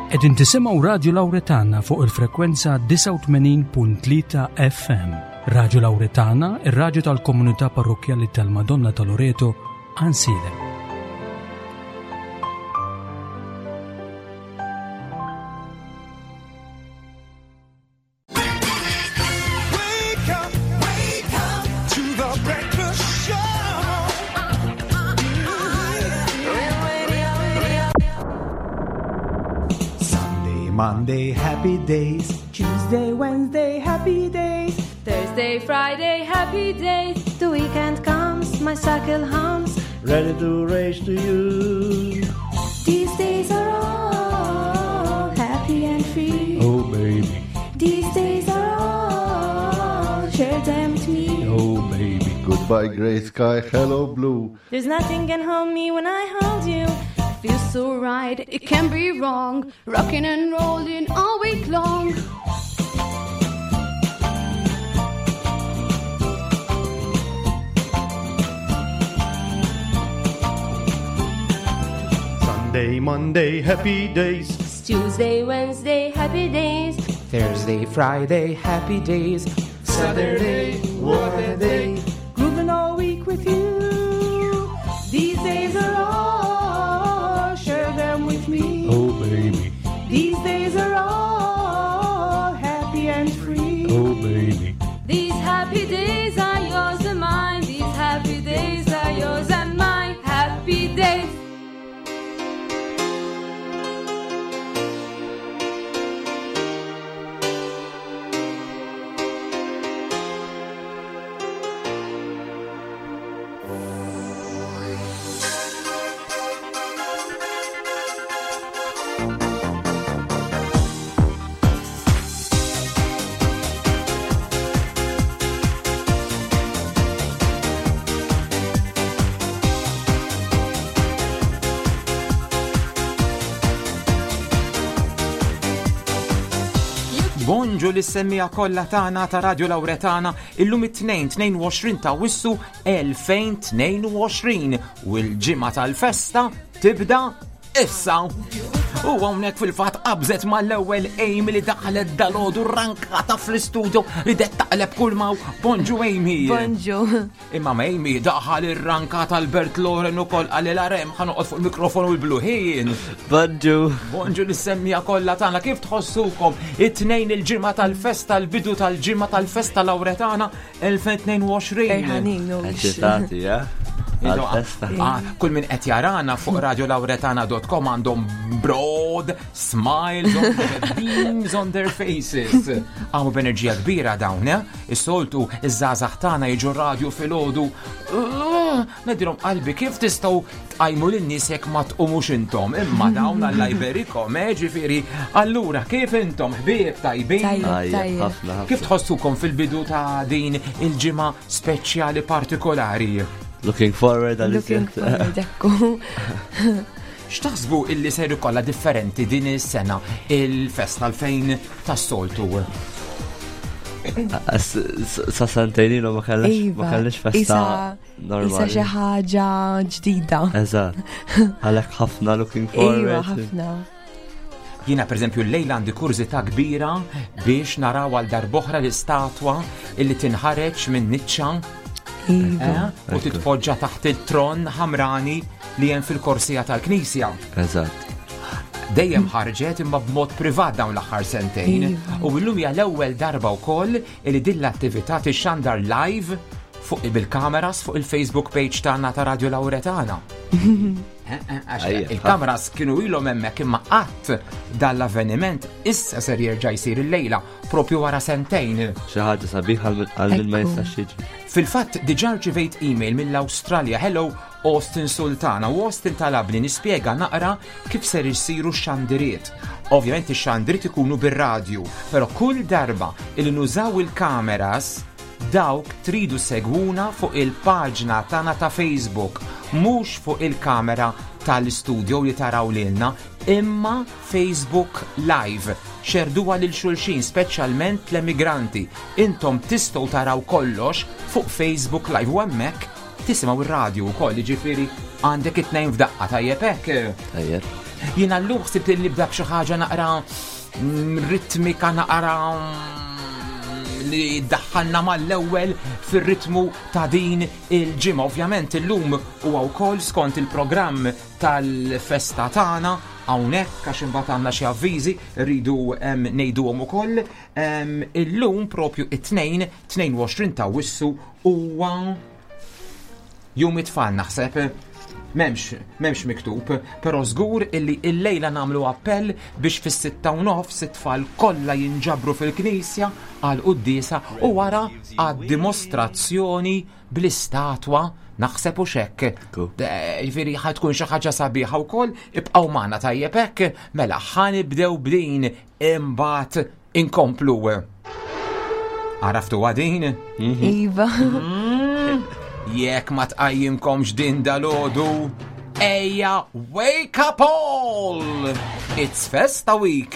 Qegħdin tisimgħu Radju Lawretana fuq il-frekwenza 89.3 FM. Radju Lawretana, ir-radju tal-komunità parrokkjali tal-Madonna ta' Loreto, Għansielem. Sunday, Monday, happy days. Tuesday, Wednesday, happy days. Thursday, Friday, happy days. The weekend comes, my cycle hums. Ready to race to you. These days are all happy and free. Oh, baby. These days are all, share them with me. Oh, baby. Goodbye, gray sky. Hello, blue. There's nothing can hold me when I hold you. Feels so right, it can be wrong. Rocking and rolling all week long. Sunday, Monday, happy days. Tuesday, Wednesday, happy days. Thursday, Friday, happy days. Saturday, what a day. Grooving all week with you. These days are all, share them with me. Oh, baby. These days are all happy and free. Oh, baby. These happy days are yours and mine. These happy days are yours and mine. Happy days. Bonġu lis-semmija kollha tagħna ta' Radio Lawretana illum it-tnejn 22 ta' Wissu 2022 u l-ġimgħa tal-festa tibda issa. U hawnhekk fil-fatt qabżet mal-ewwel Amy li daħlet dalodu rankata fl-istudio li det taqleb kull maw. Bonġu Amy. Bonġu. Imma ma Amy daħal ir-rankata Albert Loren ukoll qalli l-arem ħanoqgħod fuq il-mikrofonu l-bluħin. Bonġu. Bonġu lis-semmija kollha tagħna kif tħossukom it-tnejn il-ġimgħa tal-festa l-bidu tal-ġimgħa tal-festa Lawretana 2022. Ferħanin, u Eċitati, ja? Għal-festa. Ah, kull min qed jarana fuq radiolauretana.com għandhom broad smiles on their beams on their faces. Għamu b'enerġija kbira dawn, eh? Is-soltu iż-żgħażagħ tagħna jiġu radio filgħodu. Ngħidilhom qalbi kif tistgħu tqajmu lin-nies jekk ma tqumux intom, imma dawn alla jberikom, eh, ġifieri. Allura kif intom ħbieb tajbin? Tajjeb, Tajjeb, tajjeb. ħafna, ħafna. Kif tħossukom fil-bidu ta' din il-ġimgħa speċjali partikolari? Looking forward għal Looking forward, ekku. X'taħsbu illi ser ikollha differenti din is-sena il-festa l-fejn tas-soltu? Sa sentejn ilu ma kellix ma Iva, kellix festa isa- Isa xi normali. ħaġa ġdida. Eżatt. Għalhekk ħafna looking Iva, forward. ħafna. Jiena pereżempju llejla għandi kurżità kbira biex naraw għal darb'oħra l-istatwa illi tinħareġ minn niċċa Iva. eh, u titpoġġa taħt il-tron ħamrani li hemm fil-korsija tal-Knisja. Eżatt. Dejjem ħarġet imma b'mod privat dawn l-aħħar sentejn. Iva. U llum hija l-ewwel darba wkoll li din l-attività tixxandar live fuq bil-kameras fuq il-Facebook page tagħna ta' Radio Lawretana. Eh, eh, għax Ejja, Il-kameras kienu ilhom hemmhekk imma qatt dan l-avveniment issa ser jerġa' jsir illejla propju wara sentejn. Xi ħaġa sabiħa għal għal min ma Ekku. jistax jiġi. Fil-fatt diġà rċivejt email mill-Awstralja Hello Austin Sultana u Austin talabni nispjega naqra kif ser isiru x-xandiriet. Ovvjament ix-xandiriet ikunu bir-radju, però kull darba il nużaw il-kameras dawk tridu segwuna fuq il-paġna tagħna ta' Facebook, mhux fuq il-kamera tal-istudio li taraw lilna, imma Facebook Live. Xerduha lil xulxin, speċjalment l-emigranti. Intom tistgħu taraw kollox fuq Facebook Live u hemmhekk tisimgħu ir-radju wkoll, jiġifieri għandek it-tnejn f'daqqa tajjeb hekk. Tajjeb. Jiena llum ħsibt li nibda b'xi ħaġa naqra mm, ritmika naqra mm, li daħħalna mal-ewwel fir-ritmu ta' din il-ġimgħa. Ovvjament illum huwa wkoll skont il-programm tal-festa tagħna hawnhekk għax imbagħad għandna xi avviżi rridu ngħiduhom ukoll. Illum propju it-tnejn 22 ta' Wissu huwa Jum it-tfal naħseb. Memx, memx miktub, pero żgur illi illejla nagħmlu appell biex fis-sitta u nofs it-tfal kollha jinġabru fil-knisja għal quddiesa u wara għad-dimostrazzjoni bl-istatwa naħseb u xekk. Ġifieri ħa tkun xi ħaġa sabiħa wkoll, ibqgħu magħna tajjeb hekk, mela ħa nibdew b'din imbagħad inkomplu. Għaraftu għadin? Mhm. Iva. Mm. Jekk ma tqajjimkomx din dalodu, ejja wake up all! It's Festa Week!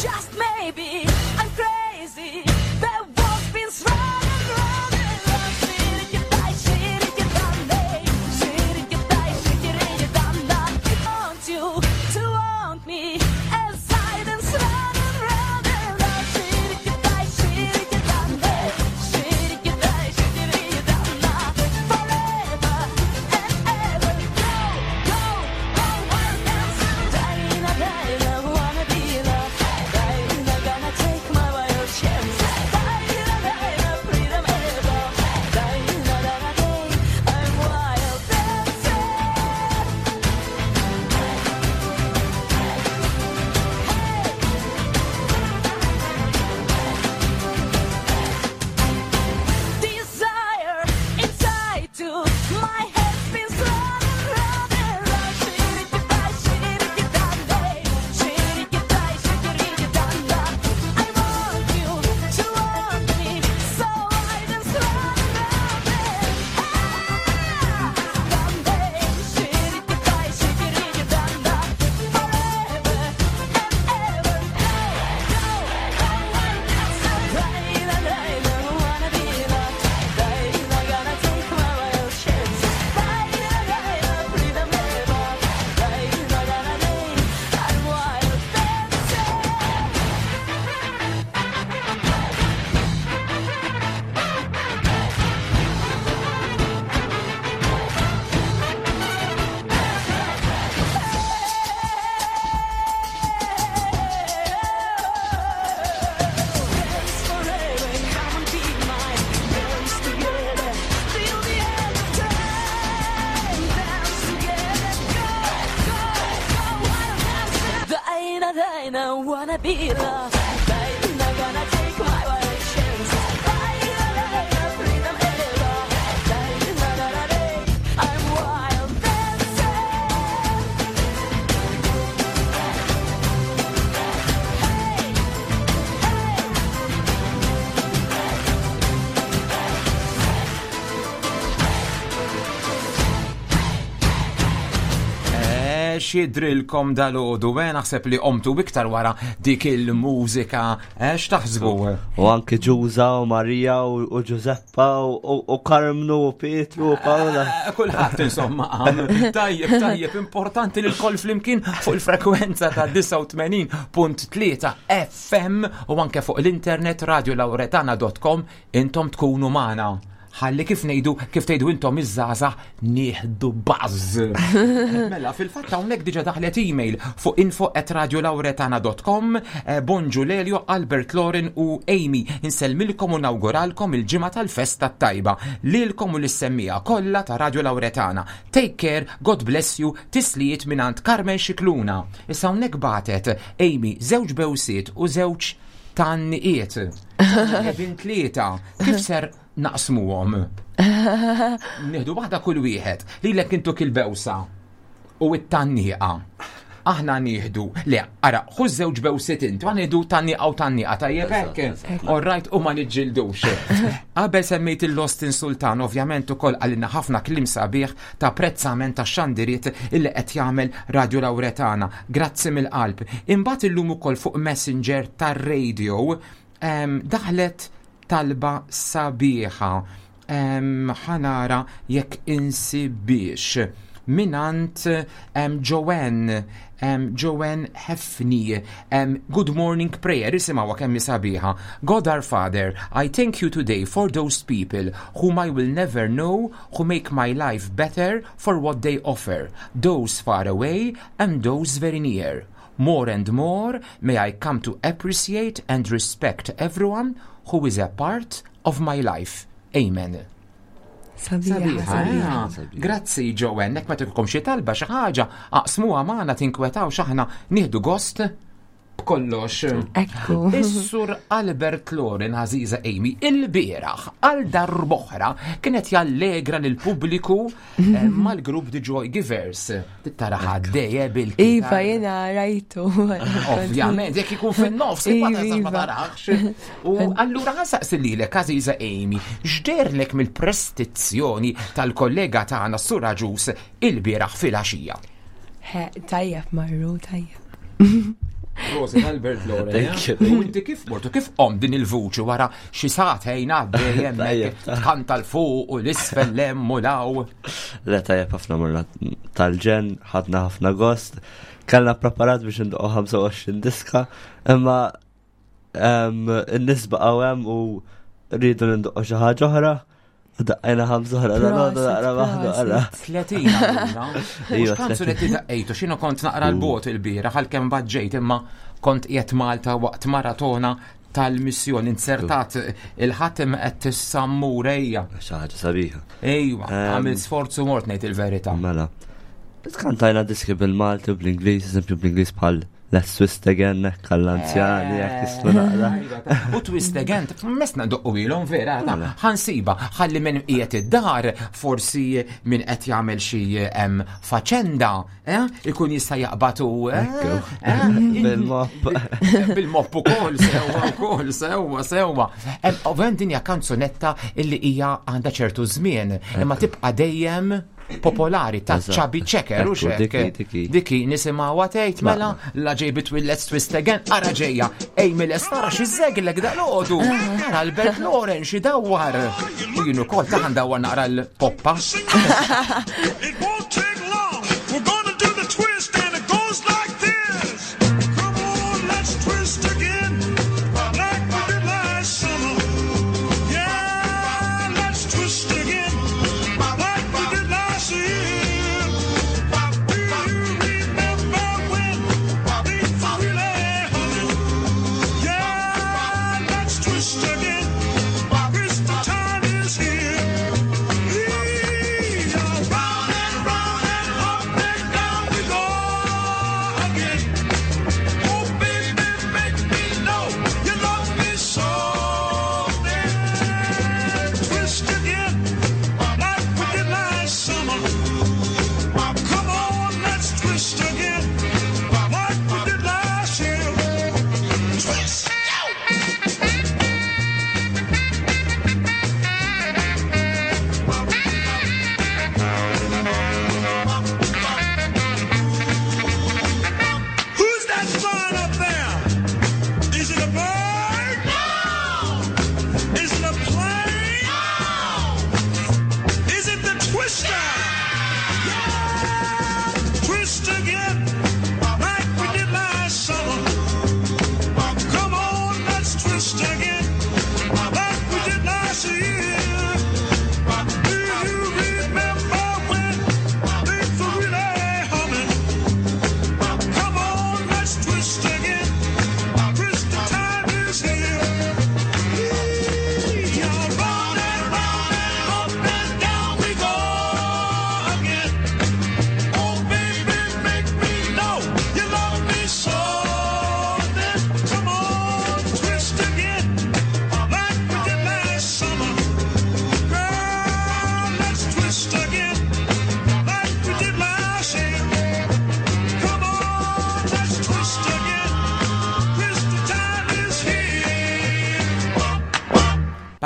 Just maybe I'm crazy. The world spins round and round and round. Want you to want me as I dance round and round and round. Forever and ever. Go, go, go, wild dancer. Dina, Dina, wanna be loved. Dina, gonna take my wild chance. Dina, Dina, freedom ever. Dina, Dina, day, I'm wild dancer. Desire inside to my head spins round and round and round. I want you to want me, so I dance round and round and forever and ever. Go, go, go, wanna be loved. Gonna take my wild chance. Freedom ever. Gonna day, I'm wild dancer. Dance forever, come and be mine. Dance together till the end of time. Dance together, go, go, go, wild dancer. Dina, Dina, wanna be loved. Dina, gonna take my wild chance. Dina, Dina, freedom ever. Dina, Dina, day, I'm wild dancer. Xidrilkom dal-ħodu, eh, naħseb li omtu iktar wara dik il-mużika, eh, x'taħsbu? U anki Ġuża u Marija u Ġużeppa u Karmnu u Pietru u Paola. Eh, kulħadd insomma għam. Tajjeb, tajjeb, importanti li l-koll flimkien fuq il-frekwenza ta' 89.3 FM u anke fuq l-internet radiolauretana.com intom tkunu magħna. Ħalli kif ngħidu, kif tgħidu intom iż-żgħażagħ nieħdu buzz. Mela, fil-fatt hawnhekk diġà daħlet email fuq info@radiolauretana.com eh, Bonġu Lelio, Albert Loren u Amy. Insellmilkom u nawguralkom il-ġimgħa tal-festa t-tajba. Lilkom u lis-semmija kollha ta' Radio Lauretana. Take care, God bless you, tislijiet mingħand Carmen Scicluna. Issa hawnhekk bagħtet Amy żewġ bewsiet u żewġ tanniqiet. Qegħdin tlieta. Kif ser naqsmuhom? Nieħdu waħda kull wieħed. Lilek intuk il-bewsa u it-tanniqa. Aħna nieħdu, le, ara, ħu żewġ bewsit inti, aħna nieħdu tanniqa u tanniqa, tajjeb hekk. All right, u ma niġġildux. Qabel semmejt il-Austin Sultan, ovvjament ukoll għalina ħafna kliem sabiħ ta' apprezzament ta' xandiriet illi qed jagħmel Radio Lauretana. Grazzi mill-qalb. Imbagħad illum ukoll fuq Messenger tar-radio daħlet talba sabiħa. Ħanara jekk insibiex minant Joanne, Joanne Hefni. Good morning prayer, isimgħu kemm sabiħa. God our Father, I thank you today for those people whom I will never know, who make my life better for what they offer, those far away and those very near. More and more may I come to appreciate and respect everyone who is a part of my life. Amen. Sabiħa, Sabiħa. Grazzi, Joanne, jekk ma tikolkom xi talba xi ħaġa, aqsmuha magħna, tinkwetaw x'aħna nieħdu gost b'kollox. Ekku. Is-sur Albert Loren, għażiża Amy, il-bieraħ għal darb'oħra kienet jallegra lil pubbliku mal-grupp The Joy Givers. Tittara ħaddejja bil Iva, jena rajtu. Ovvjament, jekk ikun fin-nofs, ma Iva, tistax ma iva. tarax. U allura ħa nsaqsi lilek, għażiża Amy, x'deherlek mill-prestazzjoni tal-kollega tagħna Sur Agius il-bieraħ filgħaxija? He, tajjeb marru, tajjeb. Prosit Albert Loren. Thank you. U inti kif mortu, kif qom din il-vuċi wara xi sagħtejn għaddej hemmhekk tkanta 'l fuq u 'l isfel 'l hemm u 'l hawn. Le, tajjeb ħafna morna tal-ġenn, ħadna ħafna gost. Kellna preparat biex ndoqqu 25 diska, imma n-nies baqgħu hemm u rridu nindoqqu xi ħaġa oħra. U daqqajna ħamsa oħra, da Prosit, naqra waħda oħra. 30 allura. Iva, Mhux kanzunetti daqqejtu, x'inhu kont naqra l-bot il-bieraħ għalkemm baġġejt imma kont qiegħed Malta waqt maratona tal-missjoni insertat il-ħatem qed tissammur ejja. Xi ħaġa sabiħa. Ejwa, għamil sforzu mort ngħid il-verità. Mela. Kantajna diski bil-Malti u bl-Ingliż, eżempju bl-Ingliż bħal Let's Twist Again, għall-anzjani, jekk jistgħu naqra. U Twist Again, mesna doqqu ilhom vera, ta' ħa nsiba, ħalli minn qiegħed id-dar, forsi minn qed jagħmel xi faċenda, ikun jista' jaqbatu. Bil-mop. Bil-mop ukoll, sewwa ukoll, sewwa, sewwa. Ovvjament din hija kanzunetta illi hija għandha ċertu żmien, imma tibqa' dejjem popolari ta' Chubby Checker u Ekku, xek. diki, diki. Diki nisimgħu tgħid mela la ġej bitwil Let's Twist Again, ara ġejja. Amy Lestara xi żeglek dal-għodu. Ara Albert Loren xi dawwar. U jien ukoll ta' ndawwar naqra l-poppa. It won't take long. We're gonna do the twist and it goes like this. Come on, let's twist again. Like we did last summer. Yeah, let's twist again. Like we did last year. Do you remember when things were really humming? Yeah, let's twist again. Crystal time is here. We are round and round.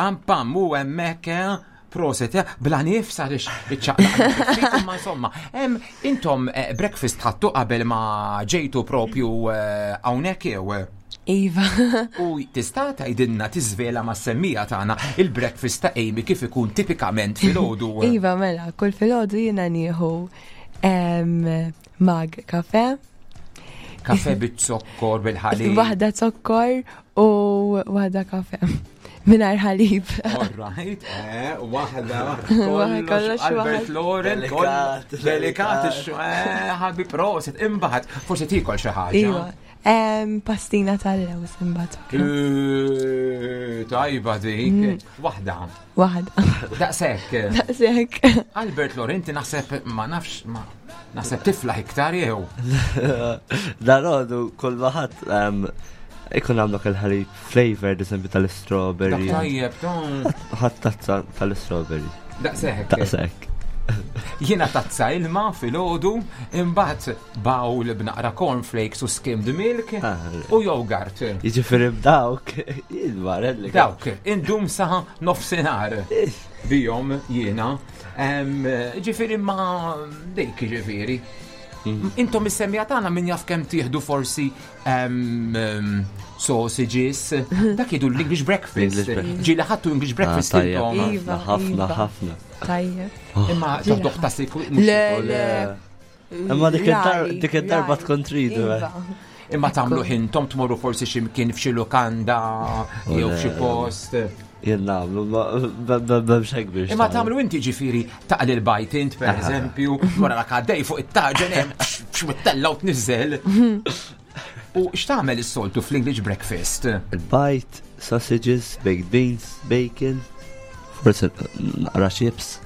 Pam pam u hemmhekk proset, bla nifs għaliex iċċaqlaq. Imma insomma, intom breakfast ħadtu qabel ma ġejtu propju hawnhekk jew? Iva. U tista' tgħidilna tiżvela mas-semmija tagħna il-breakfast ta' Amy kif ikun tipikament filgħodu? Iva, mela, kull filgħodu jiena nieħu mag kafe. Kafe bit-zokkor, bil-ħalib. Waħda zokkor u waħda kafe. Mingħajr ħalib. All right, waħda, kollox, Albert Loren, Delikat, delikat, ħabi prosit, imbagħad, forsi tiekol xi ħaġa. Iva. Pastina tal-lews imbagħad. Tajba dik. Waħda. Waħda. Daqshekk. Daqshekk. Albert Loren, inti naħseb ma nafx ma naħseb tiflaħ iktar jew. Dal-għodu kull ma ħadd ikun għandek il-ħalib flavor, eżempju tal-strawberry. Dak tajjeb, ton. Ħadd tazza tal-strawberry. Daqshekk. Daqshekk. Jiena tazza ilma filgħodu, imbagħad bowl b'naqra cornflakes u skimmed milk u yogurt. Jiġifieri b'dawk, ilma relli. Dawk, indum sa nofsinhar bihom jiena. Ġifieri ma dik ġifieri. Intom is-semmija tagħna min jaf kemm tieħdu forsi sausages, dak jgħidu l-English breakfast. English breakfast. Ġieli ħadtu English breakfast Ah, tajjeb. intom. Iva, Ħafna, iva. ħafna. Tajjeb. Imma toħdoħ ta' sikwit. Le, le. Imma dik id-dar- Rari, dik id-darba rari. tkun tridu, eh. Iva. Imma tagħmlu ħintom tmorru forsi xi mkien f'xi lukanda jew f'xi post. Jien nagħmlu, ma b'hemmx hekk biex. Imma tagħmlu inti ġifieri taqli l-bajt int pereżempju, wara dak għaddej fuq it-taġen hemm x'mittella u tniżel. U x'tagħmel is-soltu fl-English breakfast? Il-bajt, sausages, baked beans, bacon, forsi naqra chips.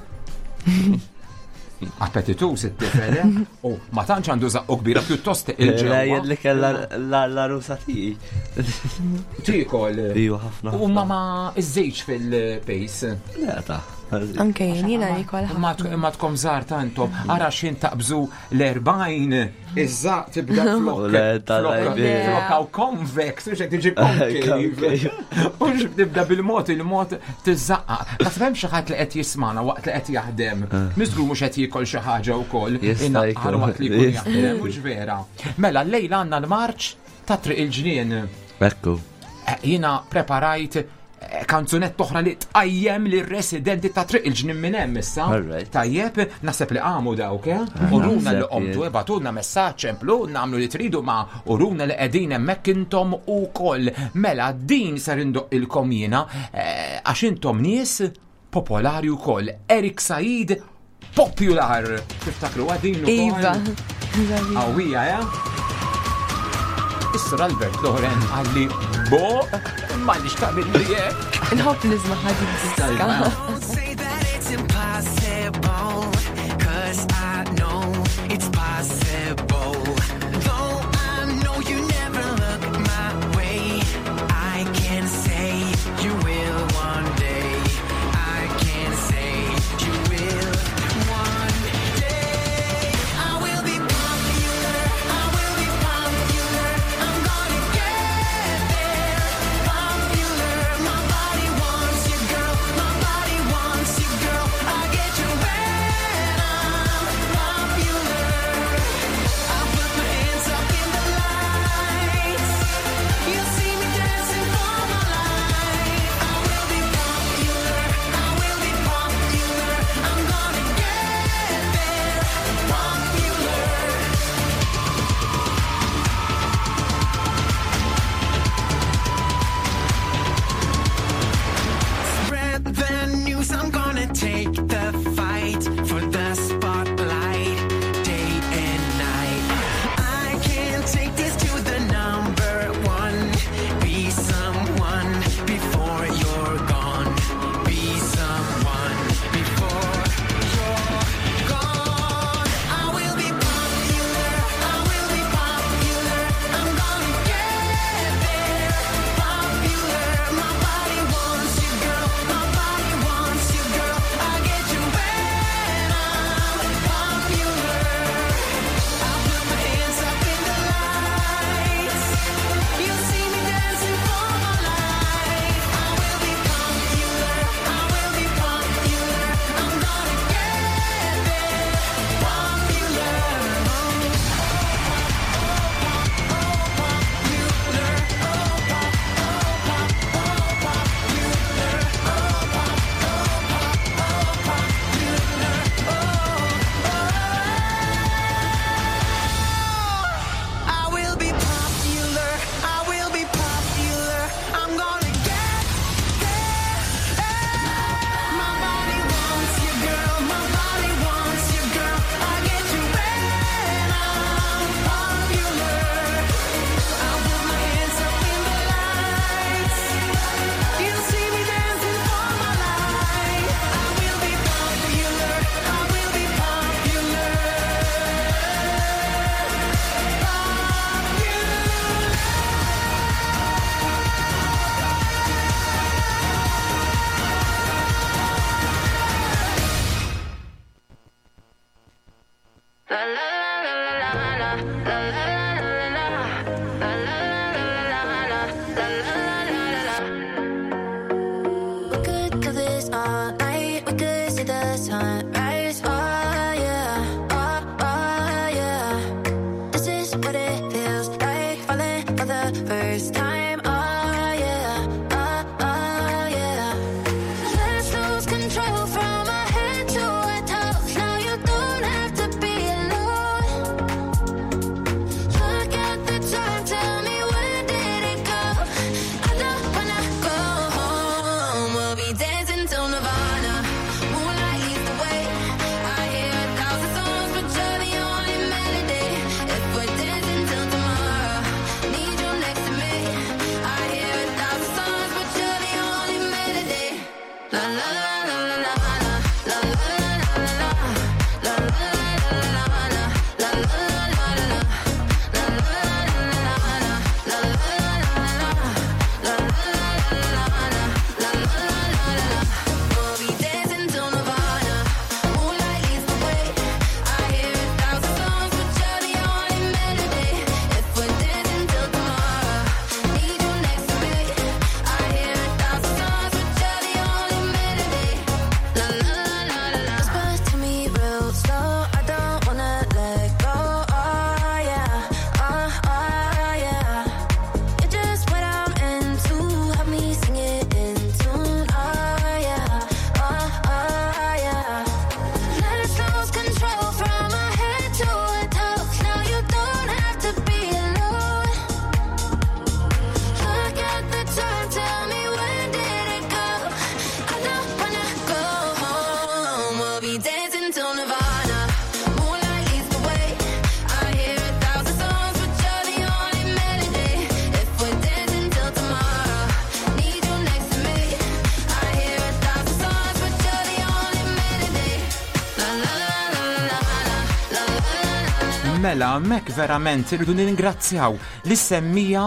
Appetitus it-tifel, eh? U ma tantx għandu żaqqu kbira pjuttost Le, il-ġewwa. jien li kellha la rusa tiegħi. Tiekol. Iva, ħafna. U ma ma iż-żejġ fil-pace. Le, ta' Anke jien jiena nikol Imma imma tkom żgħar tantom, ara x'in taqbżu l-40, iż-żaq tibda flok. Le, tal-għajbien. Flok hawn convex, u xek tiġi concave. U xek tibda bil-mod il-mod tiżżaqqa. Naħseb hemm xi ħadd li qed jismana waqt li qed jaħdem. Miżgur mhux qed jiekol xi ħaġa wkoll. Jista' Inaqqar jkun. waqt li jkun Jista' jaħdem, mhux vera. Mela llejla għandna l-marċ ta' Triq il-Ġnien. Ekku. Jiena preparajt kanzunetta oħra li tqajjem lir residenti ta' Triq il-Ġnien minn hemm issa. Alright. Tajjeb, naħseb li qamu dawk, eh? Uruna li Naħseb qomtu, jien. ebatulna messaġġ, emplu, nagħmlu li tridu ma uruna li qegħdin hemmhekk intom ukoll. Mela din ser indoqqilkom jiena għax intom nies popolari wkoll. Erik Said Popular. Tiftakru din ukoll? Iva. Qawwija, eh? Is-Sur Albert Loren għalli bo, ma li xtaqbil li jek. Nħobb nisma' ħaġa diska. Don't say that it's impossible, 'cause I know it's possible. Though I know you never look my way, I can say you will one day. I can say you will one day. I will be popular. I will be popular. I'm gonna get there. Popular. My body wants you, girl. My body wants We could do this all night. We could see the sunrise. Oh yeah, oh, oh yeah. This is what it feels like falling for the first time. Oh yeah, oh, oh yeah. Let's lose control from our head to our toes. Now you don't have to be alone. Look at the time, tell me when did it go? I don't wanna go home. We'll be dancing till Nirvana. Moonlight leads the way. I hear a thousand songs, but you're the only melody. If we're dancing till tomorrow, need you next to me. I hear a thousand songs, but you're the only melody. La la la la la la la la la la la la la la la la la la la. We'll be dancing till Nirvana. Moonlight leads the way. I hear a thousand songs, but you're the only melody. If we're dancing till tomorrow, need you next to me. I hear a thousand songs, but you're the only melody. La la la la la. Whisper to me real slow. I don't wanna let go. Oh yeah, oh oh yeah. You're just what I'm into. Help me sing it in tune. Oh yeah, oh oh yeah. Let's lose control from our head to our toes. Now you don't have to be alone. Look at the time, tell me when did it go? I don't wanna go home. We'll be dancing till Nirvana. Moonlight leads the way. I hear a thousand songs, but you're the only melody. If we're dancing till tomorrow, need you next to me. I hear a thousand songs, but you're the only melody. La la la la la la la. Mela, mek verament irridu ningrazzjaw li semmija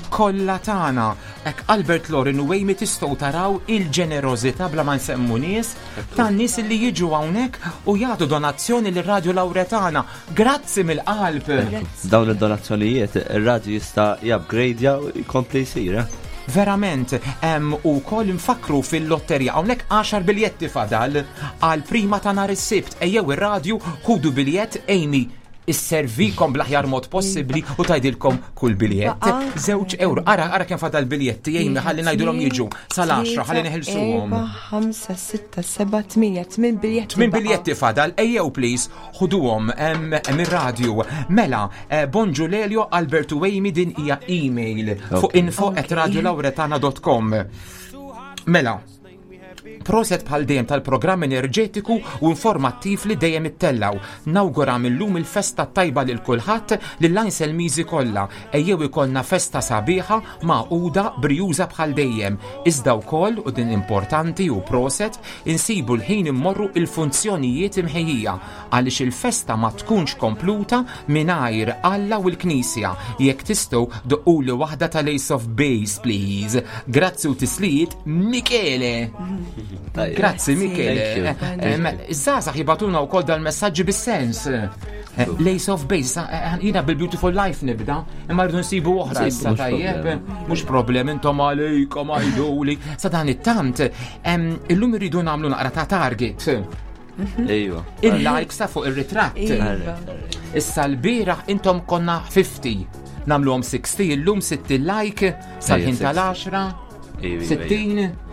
kollha tagħna. Ek Albert Loren u Amy tistgħu taraw il-ġenerożità bla ma nsemmu nies tan nies li jiġu hawnhekk u jagħtu donazzjoni lir Radio Lauretana. Grazzi mill-qalb. Dawn id-donazzjonijiet, ir-radju jista' jupgradeja u jkompli jsir. Eh? Verament, u koll nfakru fil-lotterija, hawnhekk 10 biljetti fadal għal prima ta' nhar is-Sibt. Ejjew ir-radju, ħudu biljett, Amy isservikom bl-aħjar mod possibbli u tgħidilkom kull biljett. Baqa. 2 euro. Ara, ara kemm fadal biljetti, Amy, ħalli ngħidulhom jiġu sal-10, ħalli neħilsuhom. 4, 5, 6, 7, 8, 8 biljetti. Tmin baqa. biljetti fadal, ejjew please, ħuduhom mir-radju. Mela, bonġu Lelio, Albert u Amy, din hija email fuq info@radiolauretana.com. Mela, proset bħal dejjem tal-programm enerġetiku u informattiv li dejjem ittellaw. Nawgura mill-lum il-festa tajba lil kulħadd lil Miżi kollha. Ejjew ikollna festa sabiħa magħquda brijuża bħal dejjem. Iżda wkoll u din importanti u proset insibu l-ħin immorru il-funzjonijiet imħejjija għaliex il-festa ma tkunx kompluta mingħajr Alla u l-Knisja. Jekk tistgħu doqquli waħda tal-Ace of Base, please. Grazzi u tislijiet, Michele. Tajjeb. Grazzi, Michele. Thank you. Iż-żgħażagħ jibagħtulna wkoll dal-messaġġi bis-sens. L-Ace of Base, jiena bil-Beautiful Life nibda, imma rridu nsibu oħra Nsibu, issa mhux tajjeb. problem. Mhux problem, intom għalejkom għajduli. Sa dan it-tant, illum irridu nagħmlu naqra ta' target. Ejwa. Il-likes ta' fuq ir-ritratt. Iva. Issa l-bieraħ intom konna 50. Nagħmluhom 60, illum 60 like sal-ħin Ejja, 60. tal-10. Ejwa, ejwa. 60.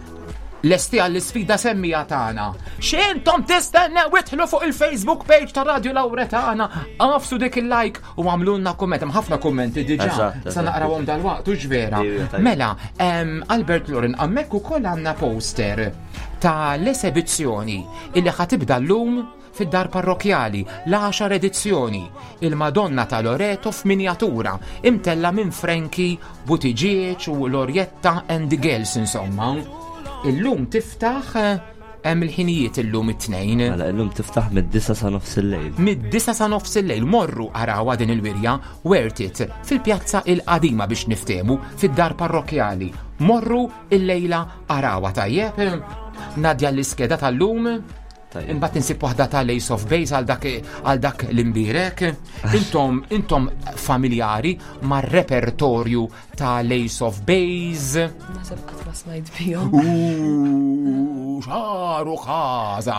Lesti għall-sfida semmija tagħna. X'intom tistennew idħlu fuq il-Facebook page ta' Radio Lauretana, agħfsu dik il-like u għamlulna kumment. Hemm ħafna kummenti diġà. Eżatt, Sa eżatt. naqrawhom dal-waqt u vera. Ejwa, tajjeb. Mela, Albert Loren, hemmhekk ukoll għandna poster ta' l-esebizzjoni illi ħa tibda llum fid-dar parrokjali, l-10 edizzjoni, il-Madonna ta' Loreto f'minjatura, imtella minn Frankie Buttigieg u Lorietta and the Girls, insomma. Illum tiftaħ hemm il-ħinijiet illum it-Tnejn. Mela, illum tiftaħ mid-9 sa nofs il-lejl. Mid-9 sa nofs il-lejl morru arawha din il-wirja worth it fil-pjazza il-qadima biex niftemu fid-dar parrokjali. Morru il-lejla arawha tajjeb. Nadja l-iskeda tal-lum. Tajjeb. Imbagħad insib waħda ta' Ace of Base għal dak l-imbirek. Intom familjari mar-repertorju ta' Ace of Base. Naħseb qatt ma smajt bihom. Uuu, xaru ħaza.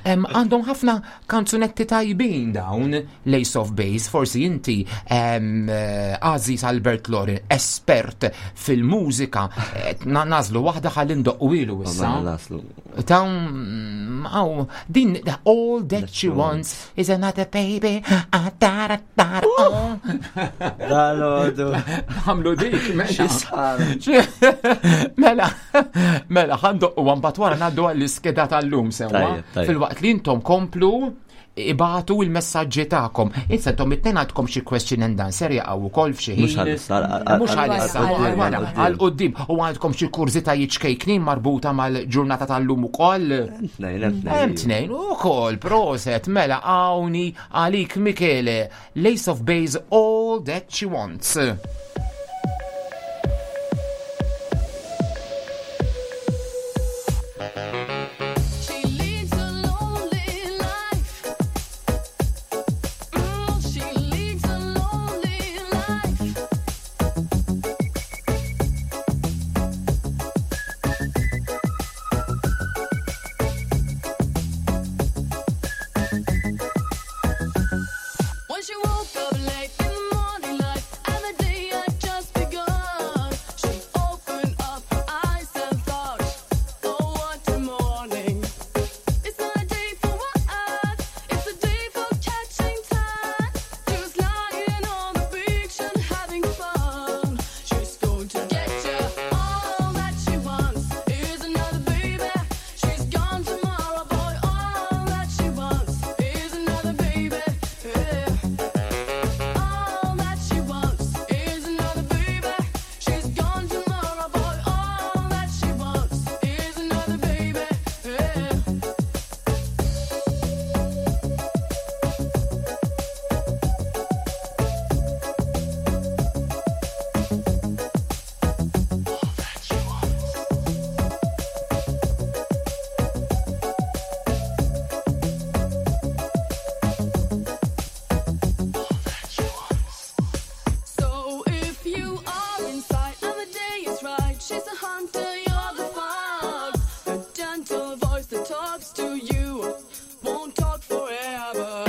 Għandhom ħafna kanzunetti tajbin dawn l-Ace of Base, forsi inti Aziz Albert Lorin, espert fil-mużika, eh, nażlu waħda ħalli ndoqqu ilu issa. Tawn, għaw, din all that she wants is another baby. Ah, da, da, oh. Dalodu. Għamlu dik, mela. Mela, mela, ħandoqqu għambat wara naddu għall-iskeda tal-lum sewa. Fil-waqt li intom komplu ibatu il-messaġġi tagħkom. Issa intom it-tnejn għandkom xi question and answer jaqgħu wkoll f'xi ħin. Mhux għalissa, Mhux għalissa, wara, għal quddiem. U għandkom xi kurżitajiet ċkejknin marbuta mal-ġurnata tal-lum ukoll. Tnejn, Hemm tnejn ukoll, proset, mela hawnhi għalik Michele, Lace of Base All That She Wants. She leads a lonely life. She leads a lonely life. When she woke up late in the morning light, and the day had just begun, she opened up her eyes and thought, "Oh, what a morning! It's not a day for work, it's a day for catching time, just lying on the beach and having fun. She's going to get you all that she wants is another baby. She's gone tomorrow, boy. All that she wants is another baby. Yeah. All that she wants is another baby. She's gone tomorrow, boy. All that she wants is another baby. Yeah. So if you are inside and the day is right, she's a hunter, you're the fox. The gentle voice that talks to you won't talk forever.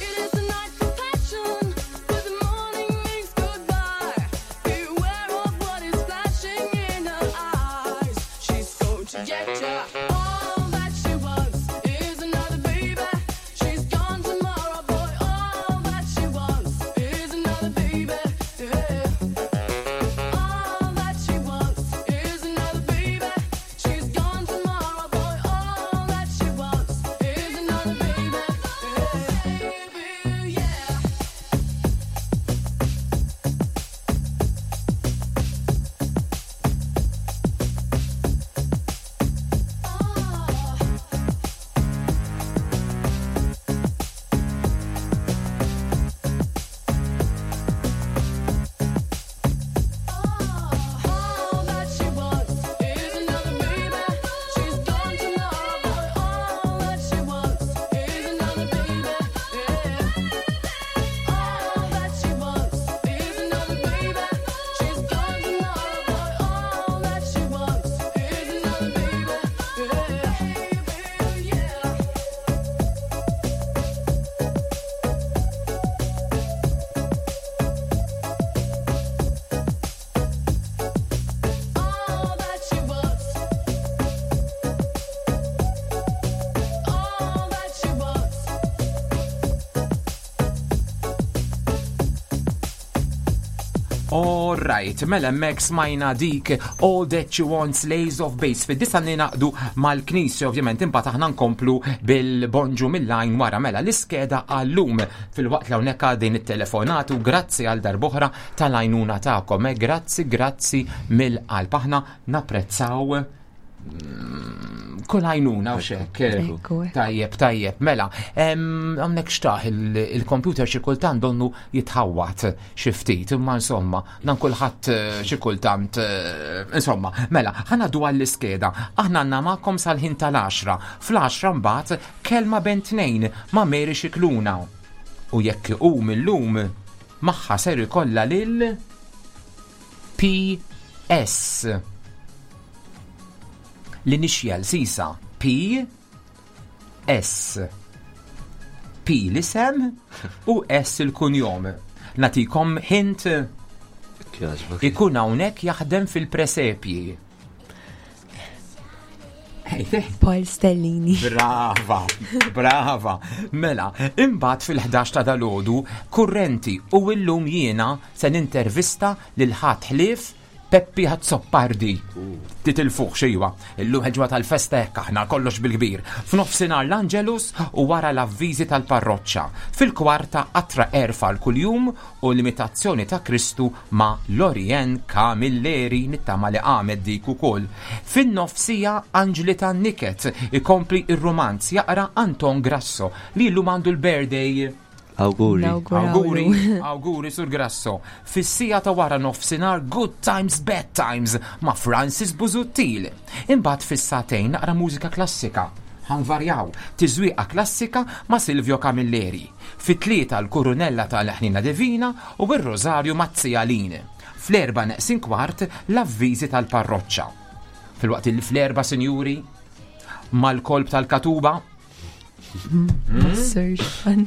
It is a night for passion, but the morning means goodbye. Beware of what is flashing in her eyes. She's going to get ya. All that she wants is another baby. She's gone tomorrow, boy. All that she wants is another baby. Yeah. All that she wants is another baby. She's gone tomorrow, boy. All that she wants is another baby. Baby, yeah. All that she wants is another baby. She's gone tomorrow, boy. All that she wants is another baby. Yeah. All that she wants is another baby. She's gone tomorrow, boy. All that she wants is another baby. Yeah. Yeah. All that she wants. All that she wants. All right, mela hemmhekk smajna dik All That She Wants Lays of Base. Fid-disa ninaqdu mal-knisja ovvjament imbagħad aħna nkomplu bil-bonġu mill-lajn wara mela l-iskeda għallum fil-waqt li hawnhekk din it-telefonatu grazzi għal darb'oħra tal-għajnuna tagħkom. Eh, Grazzi, grazzi mill-qalb. Aħna napprezzaw kull għajnuna u xek. Ekku, ekku. Tajjeb, tajjeb, mela, għamnek xtaħ il-computer xi kultant donnu jitħawat xi ftit, imma insomma, dan kulħadd xi kultant, insomma, mela, ħanaddu għall-iskeda, aħna għandna magħkom sal-ħin tal-10, fl-10 mbagħad kelma ben tnejn ma' Mary Xikluna. U jekk u mill-lum magħha ser ikollha lil PS. L-initial sisa P S P l-isem u S il-kunjom. Natikom hint ikun hawnhekk jaħdem fil-presepji. Paul Stellini. Brava, brava. Mela, imbagħad fil-11 ta' dalodu, kurrenti u illum jiena se nintervista lil ħadd ħlief Peppi Azzopardi. Titilfuh xejwa. Illum ħeġwa tal-festa hekk aħna kollox bil-kbir. F'nofsinhar l-Angelus u wara l-avviżi tal-parroċċa. Fil-kwarta qatra erfa l kuljum u l-imitazzjoni ta' Kristu ma' Lorien Camilleri nittama li qamet dik ukoll. Fin-nofsija Anġli tan-Niket ikompli ir-rumanz jaqra Anton Grasso li llum għandu l-birthday. Awguri. Awguri, awguri sur Grasso. Fis-sija ta' wara nofsinhar Good Times Bad Times ma' Francis Busuttil. Imbagħad fis-sagħtejn naqra mużika klassika. Ħanvarjaw, tiżwieqa klassika ma' Silvio Camilleri. Fit-tlieta l-Kurunella tal-Ħnina Divina u r-Rożarju mat-Tzijalin. Fl-erba' neqsin kwart l-avviżi tal-parroċċa. Filwaqt li fl-erba' sinjuri mal-kolb tal-katuba Massur Sean.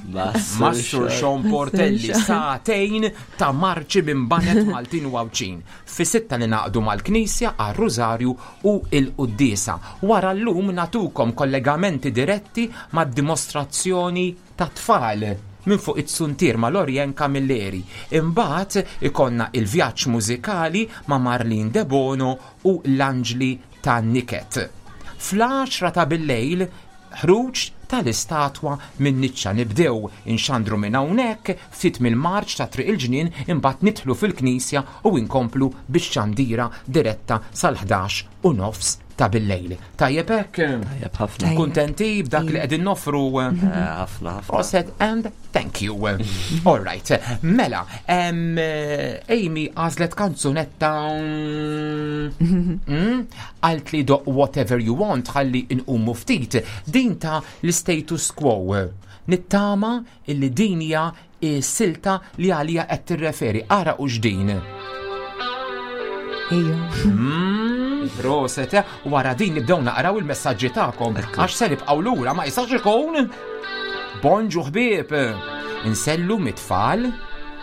Massur Sean Portelli sagħtejn ta' marċi minn banet Maltin u Għawdxin. Fi sitta li naqdu mal-Knisja għar-Rużarju u l-Quddiesa. Wara llum natukom kollegamenti diretti mad-dimostrazzjoni ta' tfal minn fuq it-suntier ma' Lorien Camilleri. Imbagħad ikollna il-vjaġġ mużikali ma' Marlene Debono u l-Anġli tan-niket. Fl-għaxra ta' billejl, ħruġ tal-istatwa min-niċċa. Nibdew inxandru minn hawnhekk, ftit mill-marċ ta' Triq il-Ġnien, imbagħad nidħlu fil-knisja u inkomplu bix-xandira diretta sal-ħdax u nofs ta' billejl. Tajjeb hekk? Tajjeb ħafna. Kuntenti b'dak li qegħdin noffru? Ħafna, ħafna. Proset and thank you. All right. Mela, Amy għażlet kanzunetta għalt li doq Whatever You Want ħalli nqumu ftit. Din ta' l-status quo. Nittama illi din hija silta li għalija qed tirreferi. Ara u x'din. Ejja. Proset, wara din nibdew naqraw il-messaġġi tagħkom għax se nibqgħu lura ma jistax ikun. Bonġu ħbieb. Insellu mit-tfal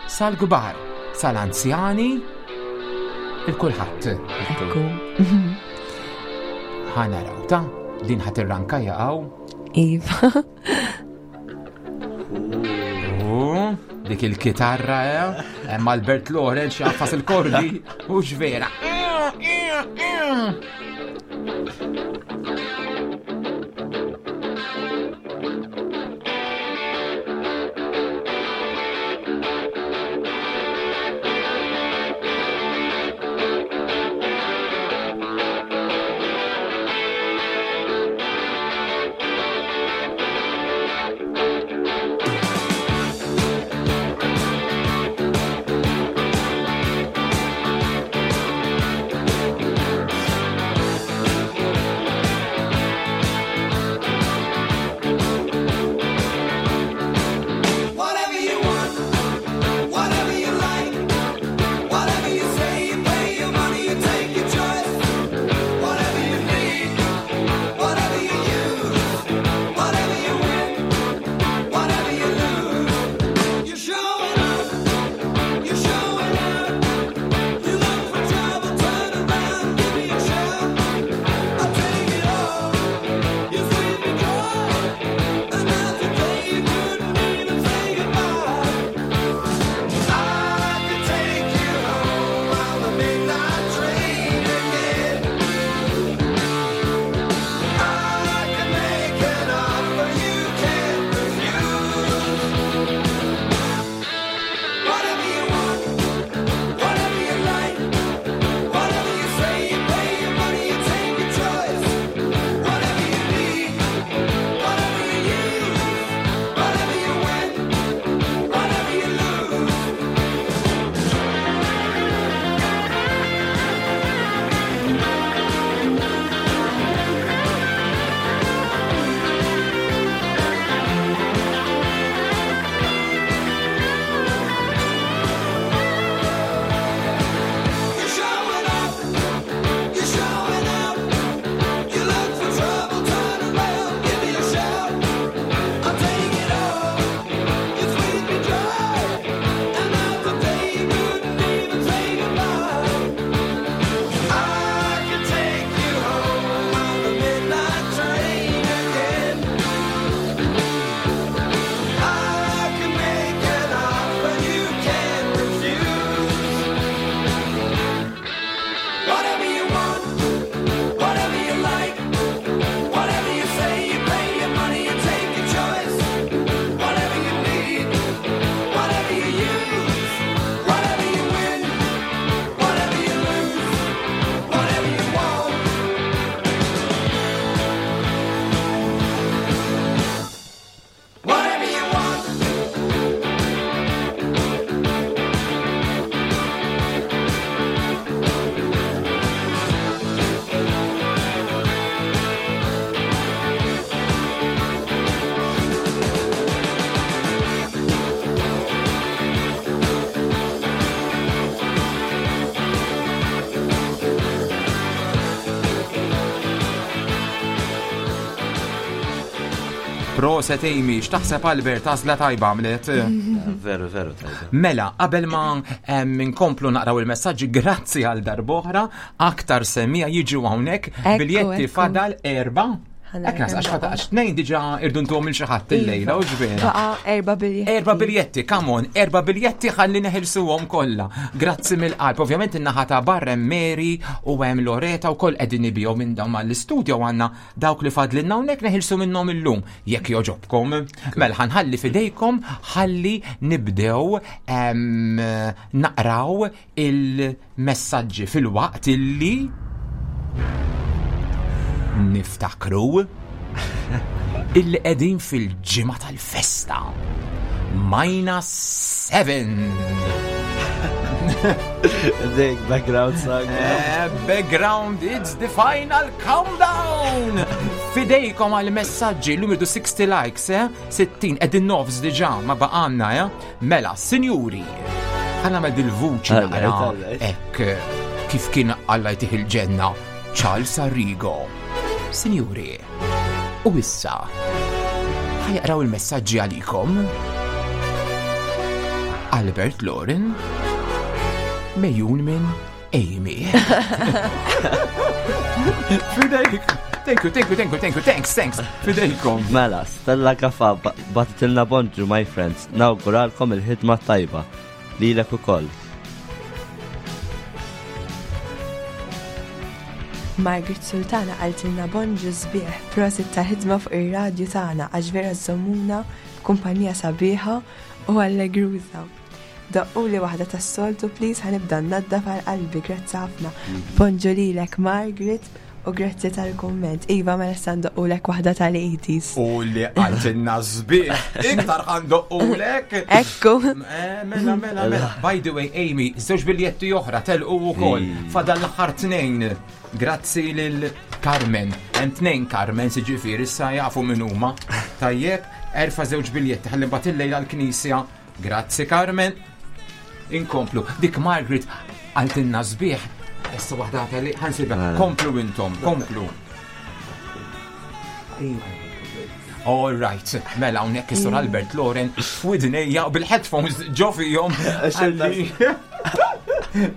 sal-kbar, sal-anzjani, il-kulħadd. Ekku. Ħa naraw ta' din ħadd irranka jaqgħu. Iva. Dik il-kitarra, eh? Hemm Albert Lorenz jaqfas il-kordi, u vera. Proset Amy, x'taħseb Albert, għażla tajba għamlet. Veru, veru tajba. Mela, qabel ma nkomplu naqraw il-messaġġi, grazzi għal darb'oħra, aktar semija jiġu hawnhekk, Ekku, biljetti ekku. fadal erba. Ħana Ekk nas, għax kemm fadal, għax tnejn diġà irduntuhom il xi ħadd illejla, u ġvera. Baqa erba biljetti. Erba biljetti, come on, erba biljetti ħalli neħilsuhom kollha. Grazzi mill-qalb. Ovvjament in-naħa ta' barra hemm Mary u hemm Loreta wkoll qegħdin ibihom minn dawn mal-istudio għandna dawk li fadlilna hawnhekk neħilsu minnhom illum jekk joġobkom. Mela ħanħalli fidejkom ħalli nibdew naqraw il-messaġġi fil-waqt illi niftakru illi qegħdin fil-ġimgħa tal-festa. Minus 7. Dik background song. Background, it's the final countdown! Fidejkom għal messaġġi, l-lum irdu 60 likes, eh? 60, edin nofs diġa, ma baqanna, eh? Mela, sinjuri, ħana med il-vuċi Alright, naqra, alright. ek, kif kien Alla jtih il-ġenna, Charles Arrigo. Sinjuri, u issa, ħajaqraw il-messaġġi għalikom. Albert Loren, mejjun minn Amy. Fidejk. Thank you, thank you, thank you, thank you, thanks, thanks. Fidejkom. Mela, Stella Gafa batitilna bonġu, my friends. Nawguralkom il-ħidma tajba. Lilek ukoll. Margaret Sultana qaltilna bonġu sbieħ, prosit ta' ħidma fuq ir-radju tagħna għax vera żommuna f'kumpanija sabiħa u allegruża. Daqquli waħda tas-soltu please ħanibda nnaddaf għal qalbi, grazzi ħafna. Bonġu lilek Margaret u grazzi tal-kumment. Iva mela issa ndoqqulek waħda tal-80s. U li għaltilna sbieħ, iktar ħandoqqulek. Ekku. Mela, mela, mela. By the way, Amy, żewġ biljetti oħra telqu wkoll. Fadal l-aħħar tnejn. Grazzi lil Carmen. Hemm tnejn Carmen siġifieri issa jafu min huma. Tajjeb, erfa' żewġ biljetti ħalli mbagħad illejla l-knisja. Grazzi Carmen. Inkomplu. Dik Margaret għaltilna sbieħ. Issa waħda li ħansibha. Komplu intom, komplu. All right, mela hawnhekk is-Sur Albert Loren f'widnejja u bil-headphones ġo fihom.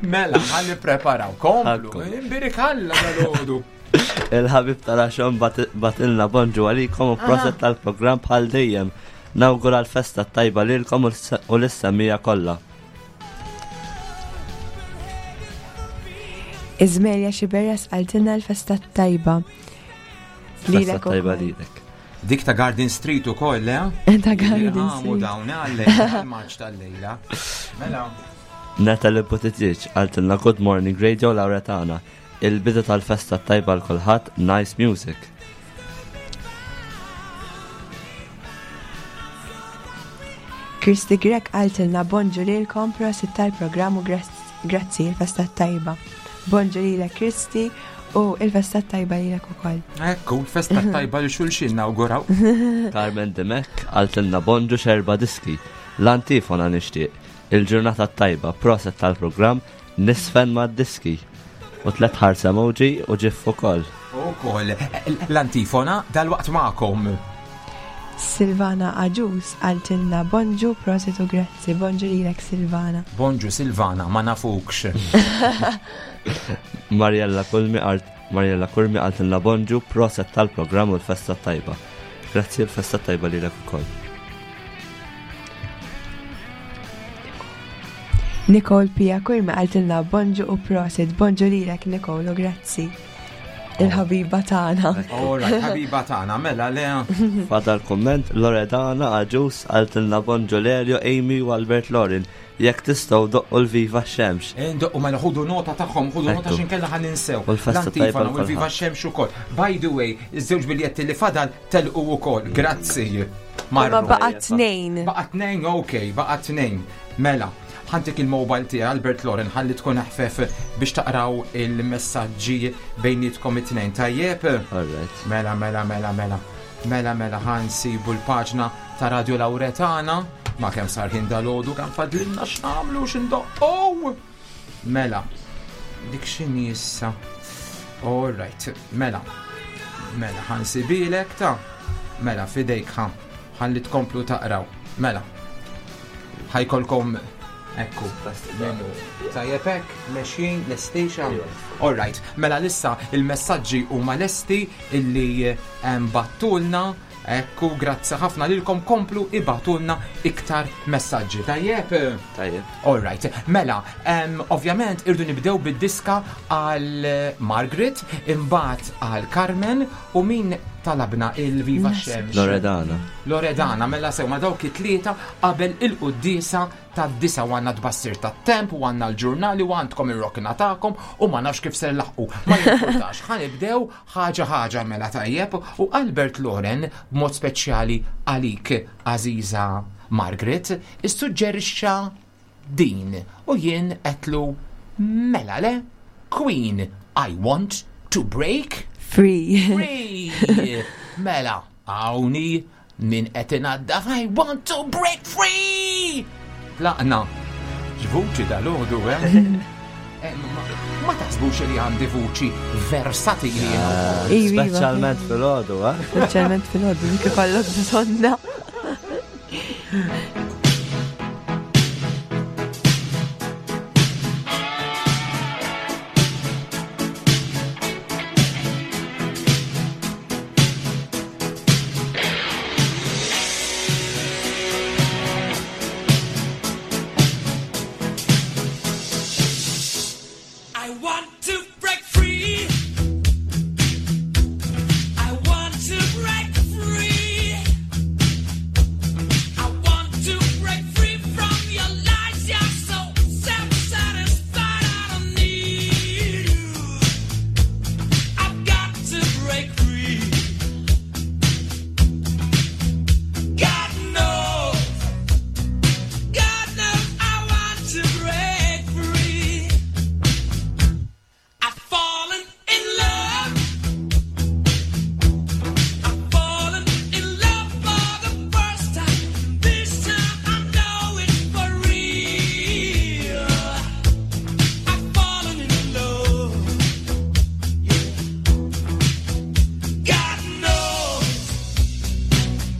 Mela, ħalli preparaw, komplu. Imbirik Alla dal-għodu. Il-ħabib tal-għaxon batilna bonġu għalikom u proset tal-program bħal dejjem. Nawgura l-festa tajba lilkom u l-issemija kollha. Izmerja Xiberjas qaltilna l-festa tajba. Festa Lilek tajba ukoll. lilek. Dik ta' Garden Street u koll, eh? Ta' Garden Għamu Street. dawn għal-lejla, għal-maċ tal-lejla. Mela. Natalie Buttigieg għaltilna Good Morning Radio Lauretana. Il-bidu tal-festa tajba l-kulħadd, nice music. Kristi Grek qaltilna bonġu lilkom prosit tal-programm u grazzi il-festa tajba. Bonġu lilek Kristi u il-festa tajba lilek ukoll. Ekku, l-festa tajba li xulxin nawguraw. Carmen Demek għaltilna bonġu xerba diski. L-antifona nixtieq. Il-ġurnata tajba, proset tal-programm, nisfen ma' diski. U tlet ħars emoji u ġif ukoll. U koll, l-antifona dal-waqt ma'kom. Silvana Aġus qaltilna bonġu prosit u grazzi. Bonġu lilek Silvana. Bonġu Silvana, ma nafukx. Mariella Kulmi għalt Mariella Kurmi għaltilna bonġu proset tal-programm u l-festa tajba. Grazzi l-festa tajba lilek ukoll. Nicole Pia Kurmi qaltilna bonġu u prosit. Bonġu lilek Nicole u grazzi. Il-ħabiba tagħna. All right, ħabiba tagħna, mela le. Fadal komment Loredana Aġus għaltilna bonġu Lerio, Amy u Albert Lorin. Jekk tistgħu doqqu l-Viva Xemx. Indoqqu mela ħudu nota tagħhom, ħudu nota Ekku. x'inkella ħan ninsew. U l-festa tajba L-antifona u l-Viva l-kulħadd. Xemx ukoll. By the way, iż-żewġ biljetti li fadal telqu ukoll. Grazzi. Ma Marru. baqa tnejn. Baqa tnejn, ok, baqa tnejn. Mela, ħantik il-mobile tiegħi Albert Loren ħalli tkun aħfef biex taqraw il-messaġġi bejnietkom it-tnejn. Tajjeb? All right. Mela, mela, mela, mela. Mela, mela, ħansibu l-paġna ta' Radio Lauretana. Ma kemm sar ħin dal-għodu kemm fadlilna x'nagħmlu x'indoqqow. Mela, dik x'inhi issa. All right, mela. Mela, ħansibilek ta' Mela, fidejk ħa. Ħalli tkomplu taqraw. Mela. Ħa jkollkom ekku. Tajjeb hekk, mexjin, lesti xa? All right. Mela lissa il-messaġġi huma lesti illi bagħtulna. Ekku, grazzi ħafna lilkom komplu ibagħtulna iktar messaġġi. Tajjeb? Tajjeb. All right. Mela, ovvjament irdu nibdew bid-diska għal Margaret, imbagħad għal Carmen u min talabna il-Viva Xemx. Loredana. Loredana, mela sew ma dawk it-tlieta qabel il-quddiesa tad-disgħa u għandna tbassir tat-temp u għandna l-ġurnali u għandkom ir-rokna tagħkom u ma nafx kif ser laħqu. Ma jimpurtax, ħa nibdew ħaġa ħaġa mela tajjeb u Albert Loren b'mod speċjali għalik għażiża Margaret issuġġerixxa din u jien għedtlu mela le Queen I want to break free. Free. Mela, hawnhi min qed inaddaf I want to break free! Tlaqna. X'vuċi dal-għodu, eh? eh ma taħsbux li għandi vuċi versatili. Eh, iva, iva. Speċjalment fil-għodu, eh? Speċjalment fil-għodu, dik ikollok bżonna. I want to break free. I want to break free. I want to break free from your lies. You're so self-satisfied. I don't need you. I've got to break free. God knows. God knows I want to break free. I've fallen in love. I've fallen in love for the first time. This time I know it's for real. I've fallen in love. Yeah. God knows.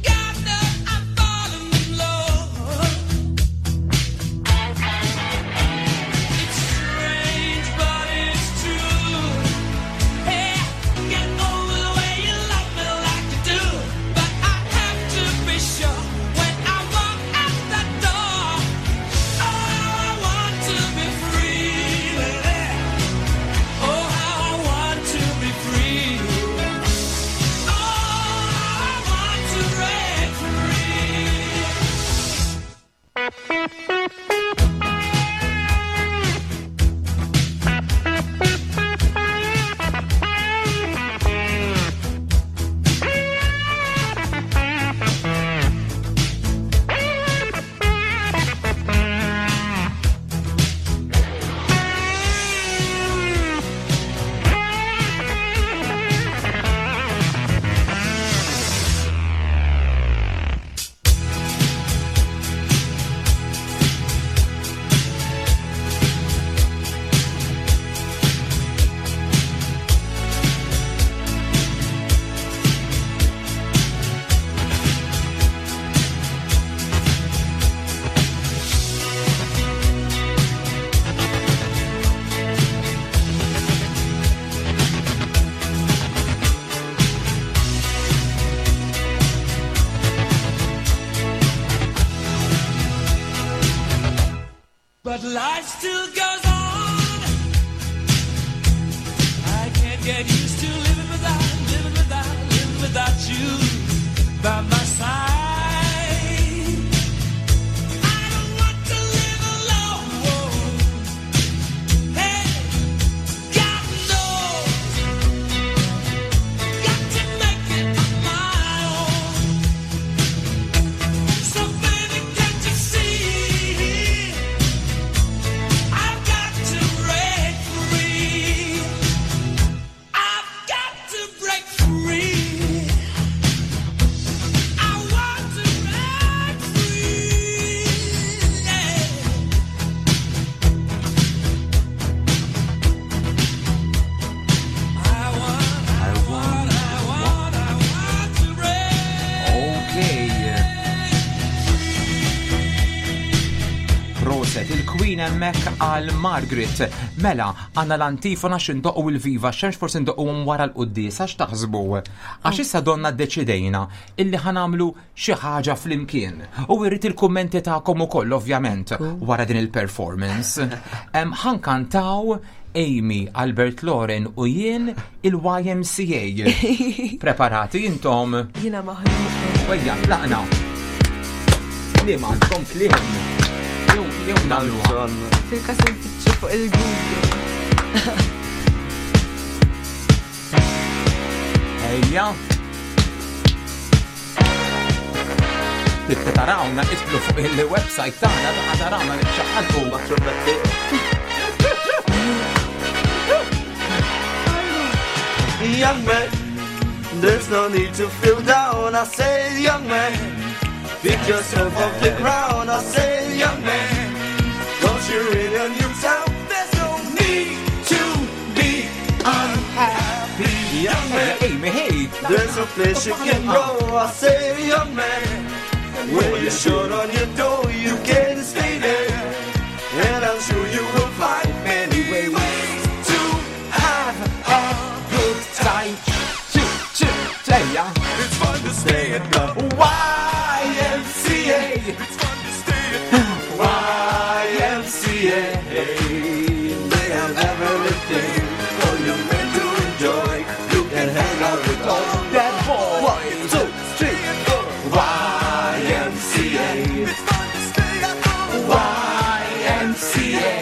God knows I've fallen in love. It's strange, but it's true. Hey, get over the way you love me like you do. But I have to be sure when I walk out that door. Oh, how I want to be free, baby. Oh, how I want to be free. Oh, how I want to break free. But life still goes on. I can't get used to living without, living without, living without you by my side. I don't want to live alone. Hey, God knows, got to make it on my own. So baby, can't you see? I've got to break free. I've got to break free. Tajbin hemmhekk għal Margaret. Mela, għandna l-antifona x'indoqqu il-viva, x'hemmx forsi ndoqquhom wara l-quddiesa x'taħsbu? Għax issa donna ddeċidejna illi ħanamlu xi ħaġa flimkien. U irrid il-kummenti tagħkom ukoll ovvjament wara din il-performance. Ħankantaw Amy, Albert Loren u jien il-YMCA. Preparati intom? Jiena maħnuq. Wejja, tlaqna. Kliem għandkom kliem. Jew jew nagħmluha. Fil-kas nfittxu fuq il-Google. Ejja. Tibqa tarawna, idħlu fuq il-website tagħna ta' tarawna li xaħalku. Young man, there's no need to feel down. I say, young man, pick yourself off the ground. I say, young man, cause you're in a new town. There's no need to be unhappy. Young man, Amy, hey! there's a place you can go. I say, young man, when you're short on your dough, you can stay there. And I'm sure you will find many ways to have a good time. Two, two, ejja. It's fun to stay at the YMCA. It's fun to stay at the YMCA. They have everything for you men to enjoy. You can hang out with all That boy. One, two, three, four. YMCA. It's fun to stay at the YMCA.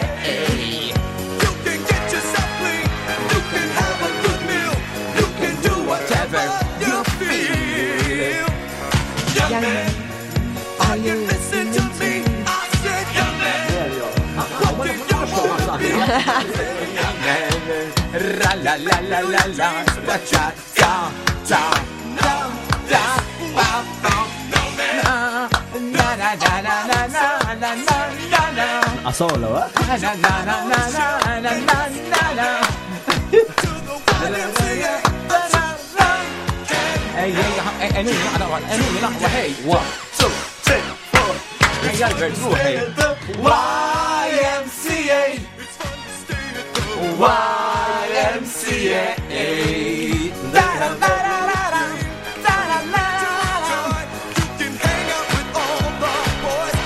You can get yourself clean. You can have a good meal. You can do whatever you feel. Young man, are you listening to me? I said, young man, what do you wanna be? Ra la la la la la, ta cha ta ta ta ta pa pa na na na na na na na na na na Asola, eh? na na na na na na na na na. Ej, ej, ej, enuni naqra, enuni naqra, hey. One, two, three, four. Ej, Albert, ruħi. YMCA. YMCA.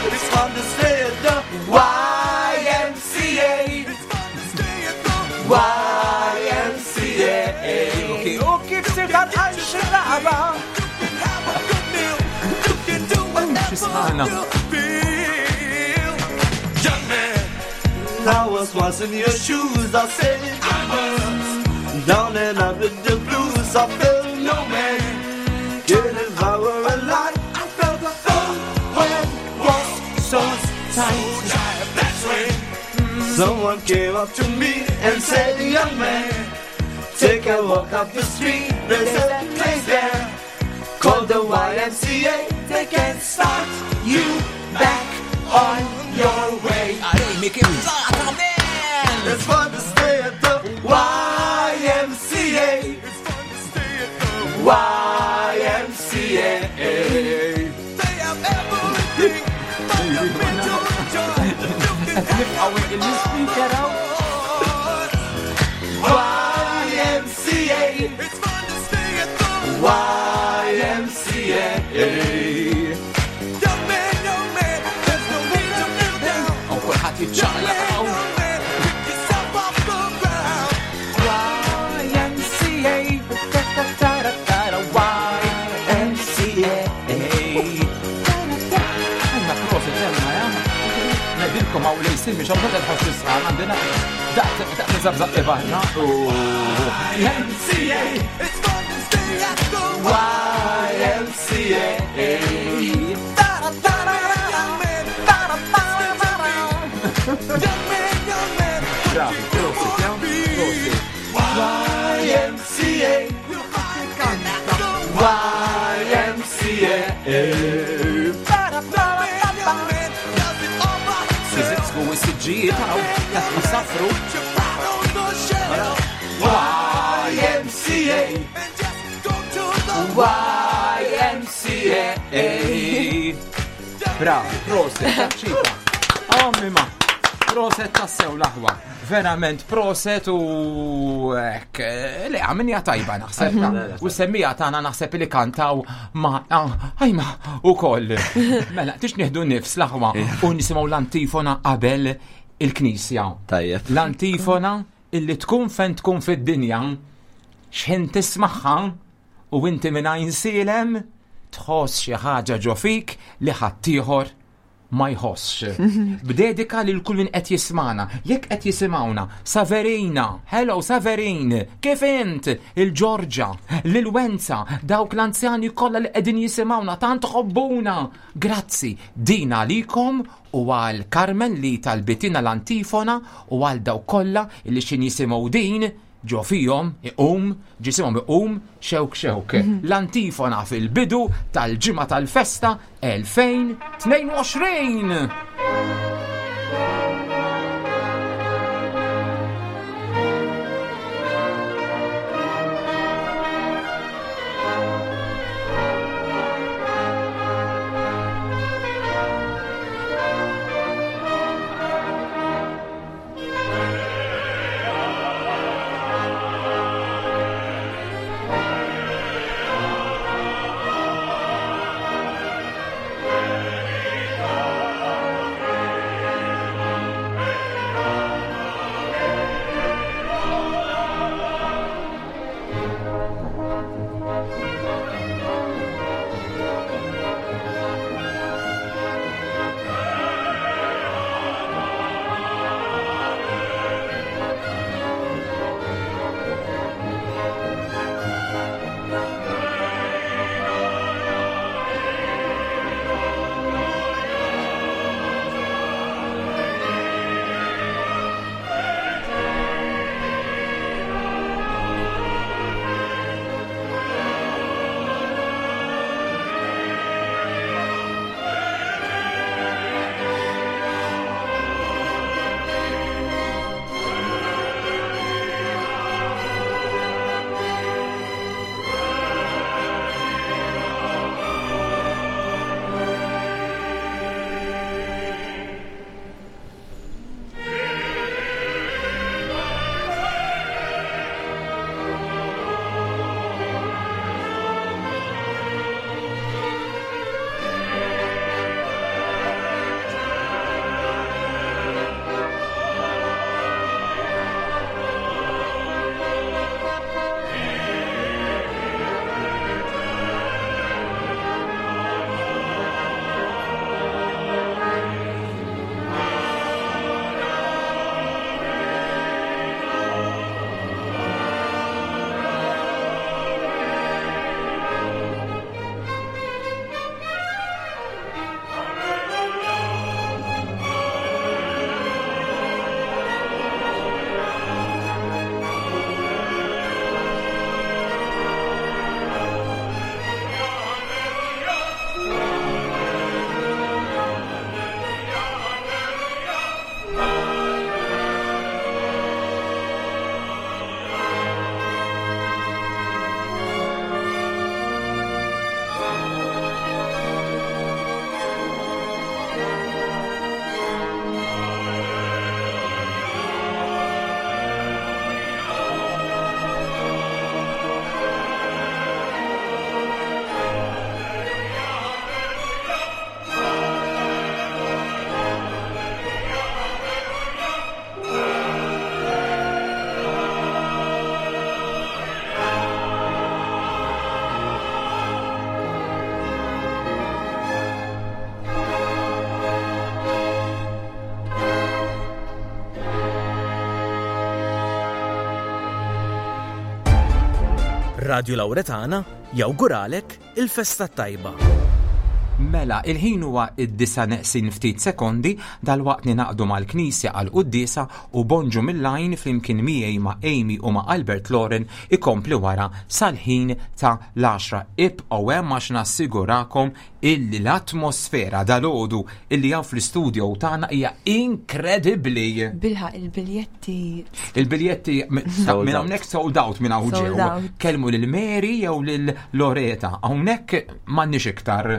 It's fun to stay at the YMCA. YMCA. U kif sirtan għal xiraba? Xisħana. I was once in your shoes, I said I was down and out with the blues. I felt no man could devour a life. I felt the whole world was so tight. Someone came up to me and said, Young man, take a walk up the street. There's a place there called the YMCA. They can start you back on your way. Amy, kif zata, man! It's fun to stay at the YMCA. It's fun to stay at the YMCA. They have everything for your men to enjoy. Nibqaw il-speaker għaw. YMCA. It's fun to stay at the YMCA. Young man, young man, there's no need to feel down. U kulħadd jiċċaqlaq għaw. YMCA, YMCA. Għanna prosit emma, ja? Nedilkom għaw li jisimmi xamma tal-ħos tisħan għandina daqt daqt nizabzaq ibarna. YMCA. It's fun to stay at the YMCA. Bravi, prosit, ja? Prosit. YMCA. YMCA. Sizitsku u s-sġijiet għaw, jisafru. YMCA. YMCA. Bravi, prosit, taċċita. Ommi ma. Proset tassew l-aħwa. Verament proset u hekk, le għamilniha tajba naħseb. U semmija tagħna naħseb li kantaw ma ħajma ukoll. Mela, tix nieħdu nifs l-aħwa u nisimgħu l-antifona qabel il-knisja. Tajjeb. L-antifona illi tkun fejn tkun fid-dinja x'ħin tismagħha u inti minn Għajnsielem tħoss xi ħaġa ġo fik li ħaddieħor ma jħossx. B'dedika lil kull min qed jismagħna, jekk qed jisimgħuna, Saverina, hello Saverin, kif int? Il-Ġorġa, lil Wenza, dawk l-anzjani kollha li qegħdin jisimgħuna tant ħobbuna. Grazzi, din għalikom u għal Carmen li talbitina l-antifona u għal dawk kollha li x'in jisimgħu din ġo fihom iqum, ġisimhom iqum xewk xewk. L-antifona fil-bidu tal-ġimgħa tal-festa 2022. Radio Lauretana jawguralek il-festa tajba. Mela, il-ħin huwa id-disa neqsin ftit sekondi dal-waqt ninaqdu mal-Knisja għal quddiesa u Bonġu mill-Għajn flimkien miegħi ma' Amy u ma' Albert Loren ikompli wara sal-ħin ta' l-għaxra. Ibqgħu hemm għax nassigurakom illi l-atmosfera dalgħodu illi hawn fl-istudio tagħna hija inkredibbli. Bilħaq il-biljetti. Il-biljetti minn hawnhekk sold out minn hawn ġew. Kellmu lil Mary jew lil Loreta. Hawnhekk m'għandniex iktar.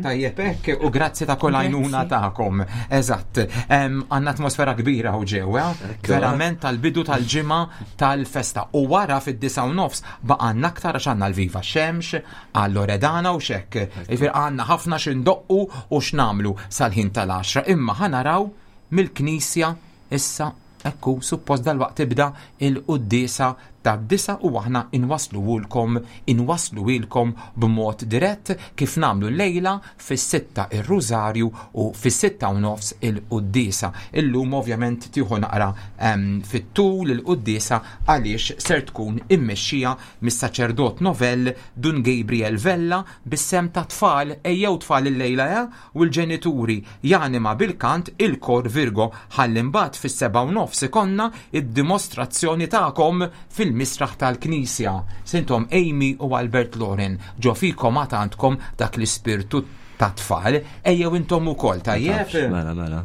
Tajjeb hekk u grazzi ta' kull għajnuna tagħkom. Eżatt. Għandna atmosfera kbira u ġewwa, verament tal-bidu tal-ġimgħa tal-festa. U wara fid-9:30 baqgħanna aktar għax għandna l-Viva Xemx, għal Loredana u xekk. Jiġifieri għandna ħafna x'indoqqu u x'nagħmlu sal-ħin tal-10. Imma ħa naraw mill-knisja issa ekku suppost dalwaqt tibda il-quddiesa tad-disgħa u aħna inwassluhulkom inwassluhielkom b'mod dirett kif nagħmlu llejla fis-sitta ir-Rużarju u fis-6:30 il-quddiesa. Illum ovvjament tieħu naqra fit-tul il-quddiesa għaliex ser tkun immexxija mis-saċerdot novell Dun Gabriel Vella bis-sehem tat-tfal, ejjew tfal illejla eh, u l-ġenituri janima bil-kant il-Kor Virgo ħalli mbagħad fis-7:30 ikollna d-dimostrazzjoni tagħkom fil-misraħ tal-Knisja. Sintom Amy u Albert Loren, ġo fikom għad għandkom dak l-ispirtu tat-tfal, ejjew intom ukoll, tajjeb? Mela, mela.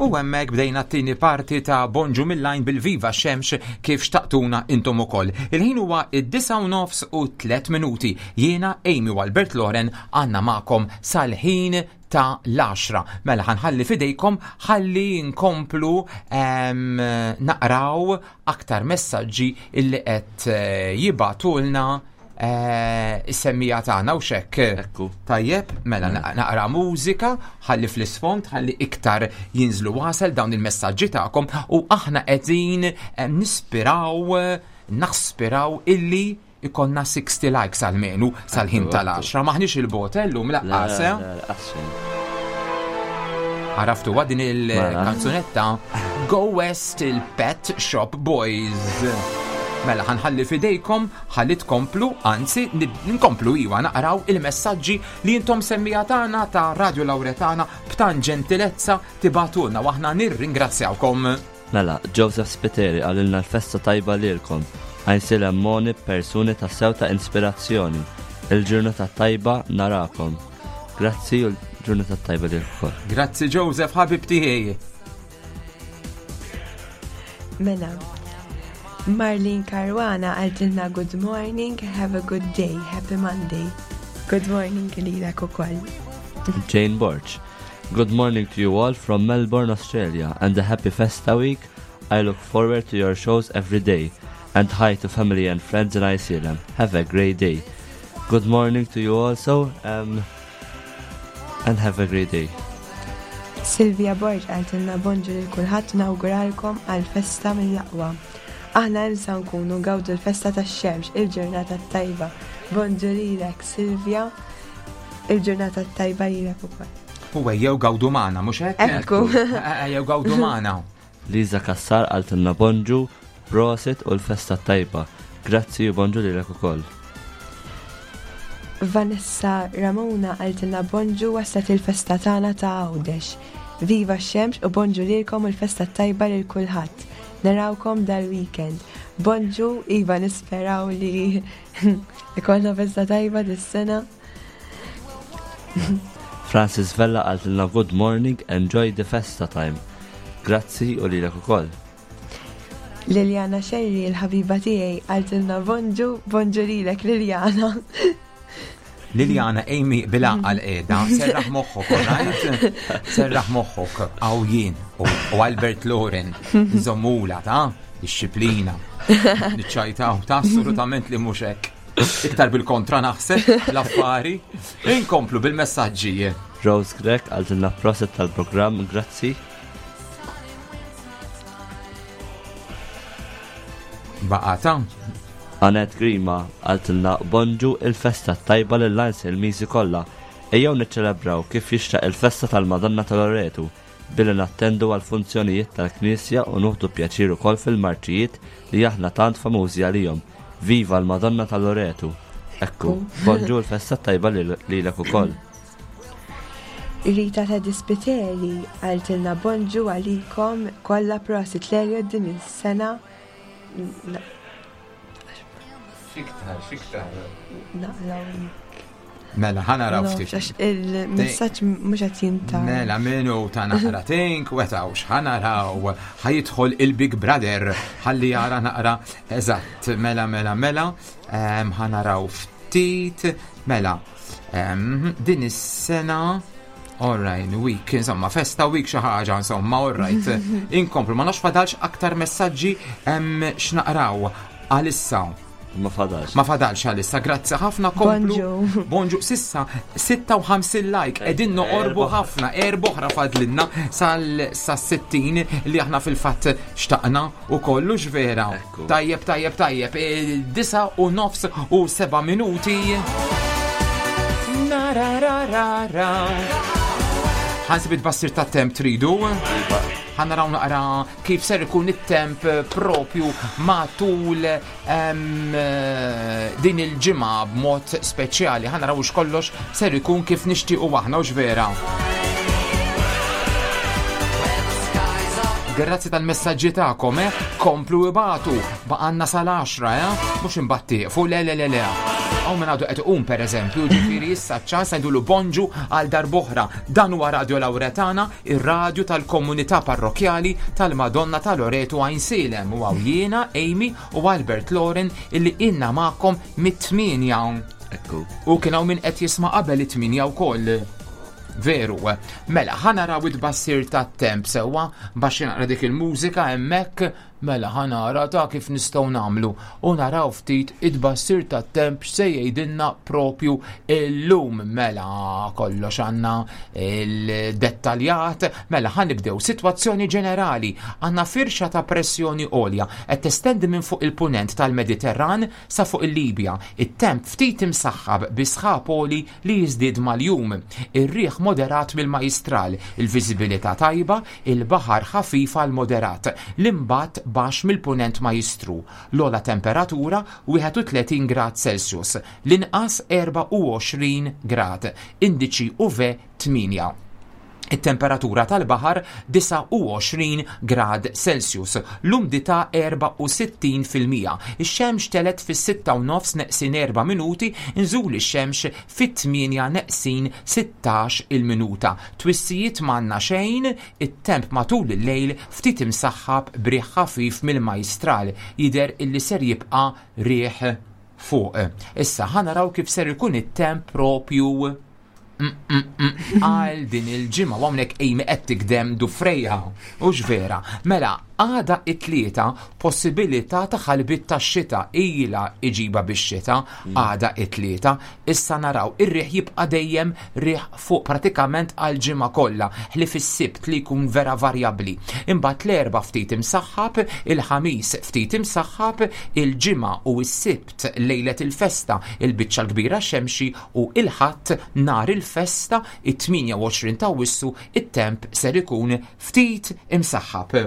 U hemmhekk bdejna t-tieni parti ta' Bonġu mill-Għajn bil-Viva Xemx kif xtaqtuna intom ukoll. Il-ħin huwa id-disa u nofs u tlet minuti. Jiena Amy u Albert Loren għandna magħkom sal-ħin ta' l-10. Mela ħanħalli fidejkom ħalli nkomplu ehm, naqraw aktar messaġġi illi qed eh, jibatulna eh, is-semmija tagħna u xekk. Ekku. Tajjeb, mela naqra mużika, ħalli fl-isfond, ħalli iktar jinżlu wasel dawn il-messaġġi tagħkom u aħna qegħdin eh, nispiraw, naspiraw illi ikonna 60 likes għalmenu sal-ħin tal-10. Maħniex il-bot llum laqqas. Eh? Għaraftu din il-kanzunetta Go West il-Pet Shop Boys. Mela ħanħalli fidejkom, ħalli tkomplu, anzi nkomplu iwa naqraw il-messaġġi li intom semmija tagħna ta' Radio Lauretana b'tan ġentilezza tibatulna u aħna nirringrazzjawkom. Mela, Joseph Spiteri qalilna l-festa tajba lilkom. Għajnsilem Moni persuni tassew ta' inspirazzjoni. Il-ġurnata tajba narakom. Grazzi u l-ġurnata tajba lilkom. Grazzi Joseph, ħabib tiegħi. Mela, Marlene Caruana għaltilna good morning, have a good day, happy Monday. Good morning lilek ukoll. Jane Borch. Good morning to you all from Melbourne, Australia, and a happy Festa week. I look forward to your shows every day. And hi to family and friends in Iceland. Have a great day. Good morning to you also, um, and have a great day. Silvia Borg għaltilna bonġu lil kulħadd nawguralkom għal festa mill-aqwa. Aħna imsa nkunu gawdu l-festa tax-xemx, il-ġurnata tajba. Bonġu lilek Silvia, il-ġurnata tajba lilek ukoll. U ejjew gawdu magħna, mhux hekk? Ekku. Ejjew gawdu magħna. Liza Kassar għaltilna bonġu, prosit u l-festa tajba. Grazzi u bonġu lilek ukoll. Vanessa Ramona għaltilna bonġu waslet il-festa tagħna ta' Għawdex. Viva x-xemx u bonġu lilkom u l-festa tajba lil kulħadd. Narawkom dal-weekend. Bonġu, iva nisperaw li ikollna festa tajba dis-sena. Francis Vella għaltilna good morning, enjoy the festa time. Grazzi u lilek ukoll. Liliana Sherry, il-ħabiba tiegħi, għaltilna bonġu, bonġu lilek Liliana. Liliana, Amy, bil-għaqal qiegħda, serraħ moħħok, right? Serraħ moħħok, għaw jien u Albert Loren, nżommula ta' disċiplina. Niċċajtaw ta' assolutament li mhux hekk. Iktar bil-kontra naħseb l-affari. Inkomplu bil-messaġġi. Rose Grek għaltilna proset tal-programm, grazzi. Baqata. Anet Grima għaltilna bonġu il-festa tajba lil il-miżi kollha. Ejjew niċċelebraw kif jixtaq il-festa tal-Madonna ta' Loretu billi nattendu għal funzjonijiet tal-Knisja u nuħdu pjaċir ukoll fil-marċijiet li aħna tant famużi għalihom. Viva l-Madonna ta' Loretu! Ekku, bonġu l-festa tajba lilek ukoll. Rita ta' Dispiteri għaltilna bonġu għalikom kollha prosit l din is-sena. Xiktar, xiktar. Naqlaw. Mela, ħana raw ftit. Għax il-messaġġ mhux qed jinta. Mela, minu ta' naqra tink, wetawx, ħana raw, ħajidħol il-Big Brother, ħalli jara naqra, eżatt, mela, mela, mela, ħana raw ftit, mela, din is-sena, all right, week, insomma, festa week xi ħaġa, insomma, all right, inkomplu, ma nafx fadalx aktar messaġġi x'naqraw għalissa. Ma fadalx. Ma fadalx għalissa, grazzi ħafna komplu. Bonġu. Bonġu, sissa 56 like, edin noqorbu ħafna, erboħra fadlinna sal sa 60 li aħna fil-fatt xtaqna u kollu vera. Ekku. Tajjeb, tajjeb, tajjeb, 9 u nofs u 7 minuti. Na ra ra ra ra. Ħansib it-bassir ta' temp tridu. Ħa naraw naqra kif ser ikun it-temp propju matul din il-ġimgħa b'mod speċjali. Ħa naraw kollox ser ikun kif nixtiequ aħna u vera. Grazzi tal-messaġġi tagħkom, eh? Komplu ibatu, baqanna sal-10, eh? Mhux imbatti, fu le le le le. Hawn min għadu qed iqum pereżempju, ġifieri issa ċ-ċans ngħidulu bonġu għal darb'oħra. Dan huwa Radio Lauretana, ir-radju tal-komunità parrokkjali tal-Madonna ta' Loreto Għajnsielem. U hawn jiena, Amy u Albert Loren illi ilna magħkom mit-tmienja. Ekku. U kien hawn min qed jisma' qabel it-tmienja wkoll. Veru. Mela, ħa naraw it-tbassir tat-temp sewwa baxx naqra dik il-mużika hemmhekk. Mela ħa nara ta' kif nistgħu nagħmlu u naraw ftit it-tbassir tat-temp x'se jgħidilna propju illum. Mela kollox għandna il-dettaljat. Mela ħa nibdew sitwazzjoni ġenerali. Għandna firxa ta' pressjoni għolja qed testendi minn fuq il-punent tal-Mediterran sa fuq il-Libja. It-temp ftit imsaħħab bi sħab għoli li jiżdied mal-jum. Ir-riħ moderat mill-Majjistral, il-viżibilità tajba, il-baħar ħafif għal moderat, l-imbatt baxx mill-Punent Majjistru. L-ogħla temperatura 31 grad Celsius, l-inqas 24 grad, indiċi UV 8. It-temperatura tal-baħar 29 grad Celsius, l-umdità 64%. Ix-xemx telgħet fis-sitta u nofs neqsin erba' minuti, nżul ix-xemx fit-tmienja neqsin 16 il-minuta. Twissijiet m'għandna xejn, it-temp matul il-lejl ftit imsaħħab b'riħ ħafif mill-Majstral, jidher illi ser jibqa' riħ fuq. Issa ħa naraw kif ser ikun it-temp propju għal din il-ġimgħa u hawnhekk Amy qed tikdem dufrejha. Hux vera. Mela, għada it-tlieta possibilità ta' ħalbiet tax-xita ilha iġiba bix-xita għada it-tlieta. Issa naraw ir-riħ jibqa' dejjem riħ fuq pratikament għal ġimgħa kollha, ħlief is-Sibt li jkun vera varjabbli. Imbagħad l-Erbgħa ftit imsaħħab, il-Ħamis ftit imsaħħab, il-Ġimgħa u s-Sibt lejlet il-festa il-biċċa l-kbira xemxi u il-Ħadd nhar il-festa it-28 t'Awwissu it-temp ser ikun ftit imsaħħab.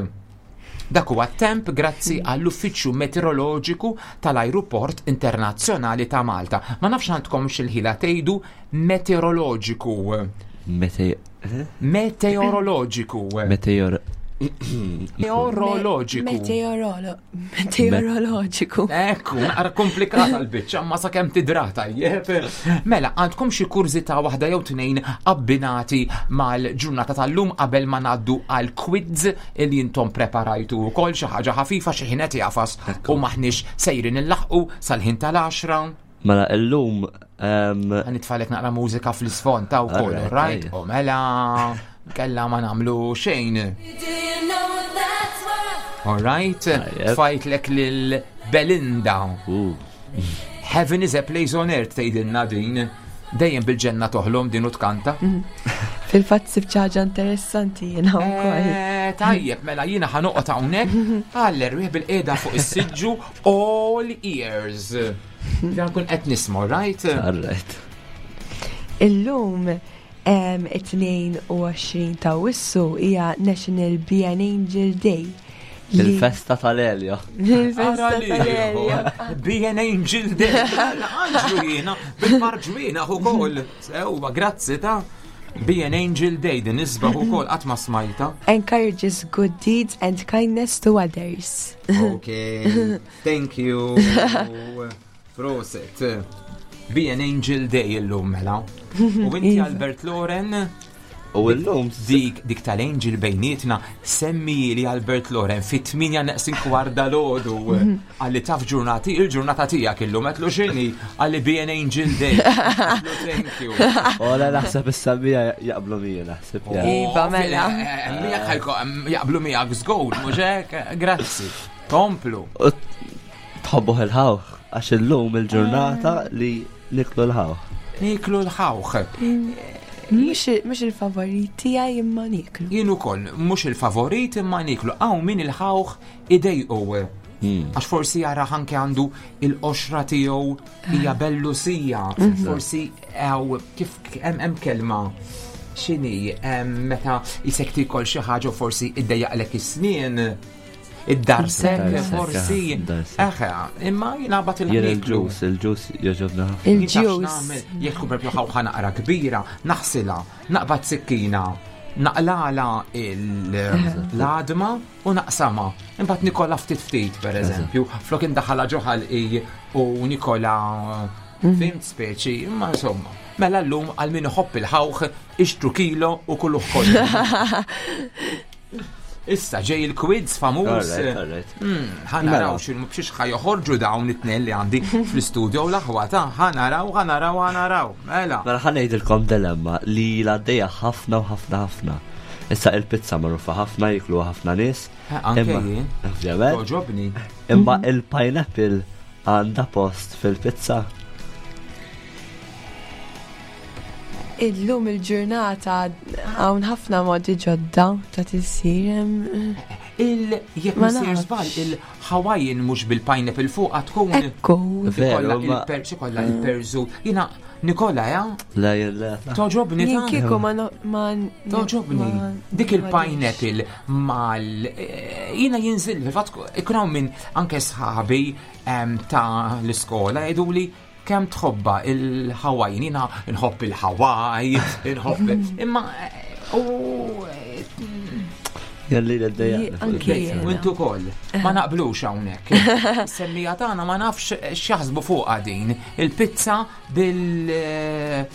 Dak huwa t-temp grazzi għall-Uffiċċju Meteoroloġiku tal-Ajruport Internazzjonali ta' Malta. Ma nafx għandkomx il-ħila tgħidu meteoroloġiku. Meteoroloġiku. Meteor. Meteoroloġiku. Meteorolo. Meteoroloġiku. Ekku, naqra komplikata l-biċċa, ma sakemm tidra tajjeb. Mela, għandkom xi kurżità waħda jew tnejn abbinati mal-ġurnata tal-lum qabel ma ngħaddu għal quiz li intom preparajtu wkoll xi ħaġa ħafifa xi ħin qed jafas u maħniex sejrin illaħqu sal-ħin tal-10. Mela illum Nitfalek naqra mużika fl-isfond ta' wkoll, right? U mela kella ma nagħmlu xejn. All right, tfajtlek lil Belinda. Heaven is a place on earth tgħidilna din. Dejjem bil-ġenna toħlom din u tkanta. Fil-fatt sibt ħaġa interessanti jiena wkoll. Eh, tajjeb, mela jiena ħanoqgħod hawnhekk għall-erwieħ bil-qiegħda fuq is-siġġu all ears. Dan kun qed nisma', right? Alright. Illum 22 ta' Awwissu hija National Be an Angel Day. Il-festa tal-Elio. Il-festa tal-Elio. Be an Angel Day. Anġlu jiena, bil-marġwina ukoll. Sewwa, grazzi ta' Be an Angel Day din isbaħ ukoll qatt ma smajta. Encourages good deeds and kindness to others. Okay, thank you. Proset. Be an Angel Day illum mela. U inti Iva. Albert Loren U illum dik dik tal-Angel bejnietna semmi li Albert Loren fit-8 neqsin kwarda lodu għalli taf ġurnati il-ġurnata tiegħek illum qedlu x'inhi għalli Be an Angel Day. Għedtlu thank you. Ola naħseb is-sabija jaqblu mija naħseb. ja. Iva, mela. Eh, Miegħek ħajko jaqblu miegħek żgur, mhux hekk? Grazzi. Komplu. U tħobbuh il-ħawħ għax illum il-ġurnata li niklu l-ħawħ. Niklu l-ħawħ. Mhux il-favorit tiegħi imma niklu. Jien ukoll mhux il-favorit imma niklu. Hawn min il-ħawħ idejqu. Għax forsi jara anke għandu il-qoxra tiegħu hija bellusija. Forsi hawn kif hemm kelma x'inhi meta isek tikol xi ħaġa u forsi iddejjaqlek is-snien. Id-darsek, Id-darsek, forsi. id-darsek. Eħe, imma jiena bat Jien il-ħniklu. il-ġus, il-ġus joġobna ħafna. Il-ġus. Jekk tkun propju ħawħa naqra kbira, naħsilha, naqbad sikkina, naqlala l-għadma u naqsama. Imbagħad nikola ftit ftit, per eżempju, flok indaħala ġo ħalqi u nikola Fhimt speċi, imma insomma. Mela llum għal min iħobb il-ħawħ ixtru kilo u kuluh kollu. Issa ġej il-quiz famuż. Alright, alright. Ħanaraw Mela. x'inhu b'xiex ħa joħorġu dawn it-tnejn li għandi fl-istudio u l-aħwa ta' ħanaraw, ħanaraw, ħanaraw. Mela. Mela ħa ngħidilkom dilemma li l-għaddejja ħafna u ħafna ħafna. Issa il-pizza magħrufa ħafna, jikluha ħafna nies. Eh, anke Imma- jien. Ovvjament. Toġobni. Imma il-pineapple għandha post fil-pizza. Illum il-ġurnata hawn ħafna modi ġodda ta' tisir. Il jekk Ma misir nafx. żball il-Hawaiian mhux bil-pineapple fuqha tkun. Ekku. Ikolla Veru, ma- il-persu kollha il-persu. Jiena Nikola, ja? Le, le. Toġobni Jien ta' kieku ma no- ma Toġobni. ma- Dik ma- il-pineapple mal eh, jiena jinżil fil-fatt ikun hawn minn anke sħabi em, ta' l-iskola jgħiduli kemm tħobba il-Hawaiian, jiena nħobb il-Hawaii, nħobb imma eh, u eh, Jalli l-għaddejja. Anke jiena. U intu koll, ma naqblux hawnhekk. Semmija tagħna ma nafx x'jaħsbu fuqha din. Il-pizza bil eh,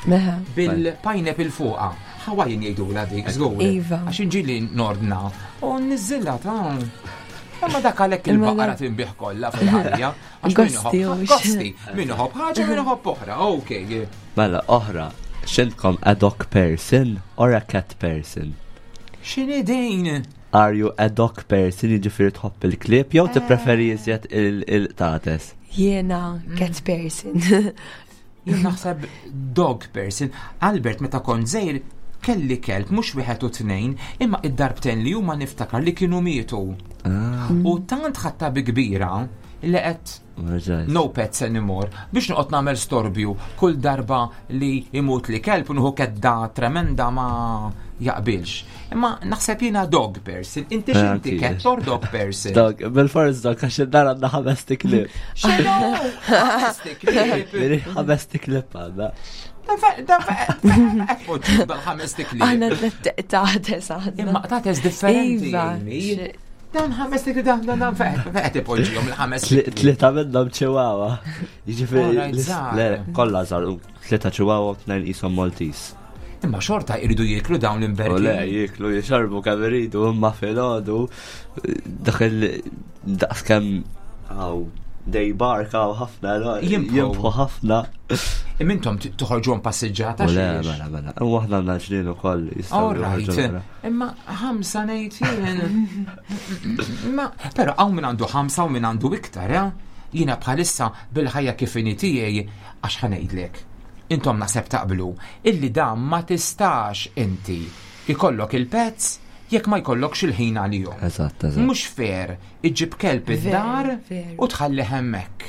Meħa. bil-pineapple fuqha. Hawaiian jgħidula dik, żgur. Iva. Għax inġili nordna u niżilha ta' Imma dak għalhekk Imma il-baqra dak- tinbih kollha fil-ħajja. Għax min Gosti iħobb- hux. Gosti, min iħobb ħaġa, min iħobb oħra. Okej. Mela, oħra, xintkom a dog person or a cat person? X'inhi din? Are you a dog person, jiġifieri tħobb il-klieb, jew tippreferi iżjed il-tates? Jiena cat person. Jien naħseb dog person. Albert meta kont żgħir kelli kelb mhux wieħed u tnejn, imma id-darbtejn li huma niftakar li kienu mietu. U tant ħatta bi kbira li qed no pets anymore biex noqgħod nagħmel storbju kull darba li imut li kelb u nieħu kedda tremenda ma jaqbilx. Imma naħseb jiena dog person. Inti x'inti Anki. cat or dog person? Dog, bil-fors dog, għax id-dar għandna ħames tiklib. X'inhu? Ħames tiklib. Miri ħames tiklib għandna. Dal-ħames tiklib. Aħna tlet taħtes għandna. Imma qtates differenti. Iva. Amy. Dan ħames tiklib, dan dan dan feqet ipoġġihom il-ħames tiklib. Tlieta minnhom ċiwawa. Jiġifieri Alright, żgħar. le, kollha żgħar, u tlieta ċiwawa u tnejn qishom Maltese. Imma xorta jridu jieklu dawn U le, l-imberki. jieklu, jixorbu kemm iridu, imma filgħodu dak il daqs kemm għaw dej bark għaw ħafna, no, Jimbħu. jimbħu ħafna. Imma intom toħorġuhom passiġġata U le, xiex? mela, mela. U aħna għandna ġnien ukoll jistgħu All joħorġu right. barra. Imma ħamsa ngħid jien. Imma però hawn min għandu ħamsa u min għandu iktar, eh? Jiena bħalissa bil-ħajja kif inhi tiegħi għax ħa ngħidlek. Intom naħseb taqblu illi dan ma tistax inti ikollok il-pets jekk ma jkollokx il-ħin għalihom. Eżatt, eżatt. Mhux fair iġġib kelb id-dar Veru, u tħalli hemmhekk.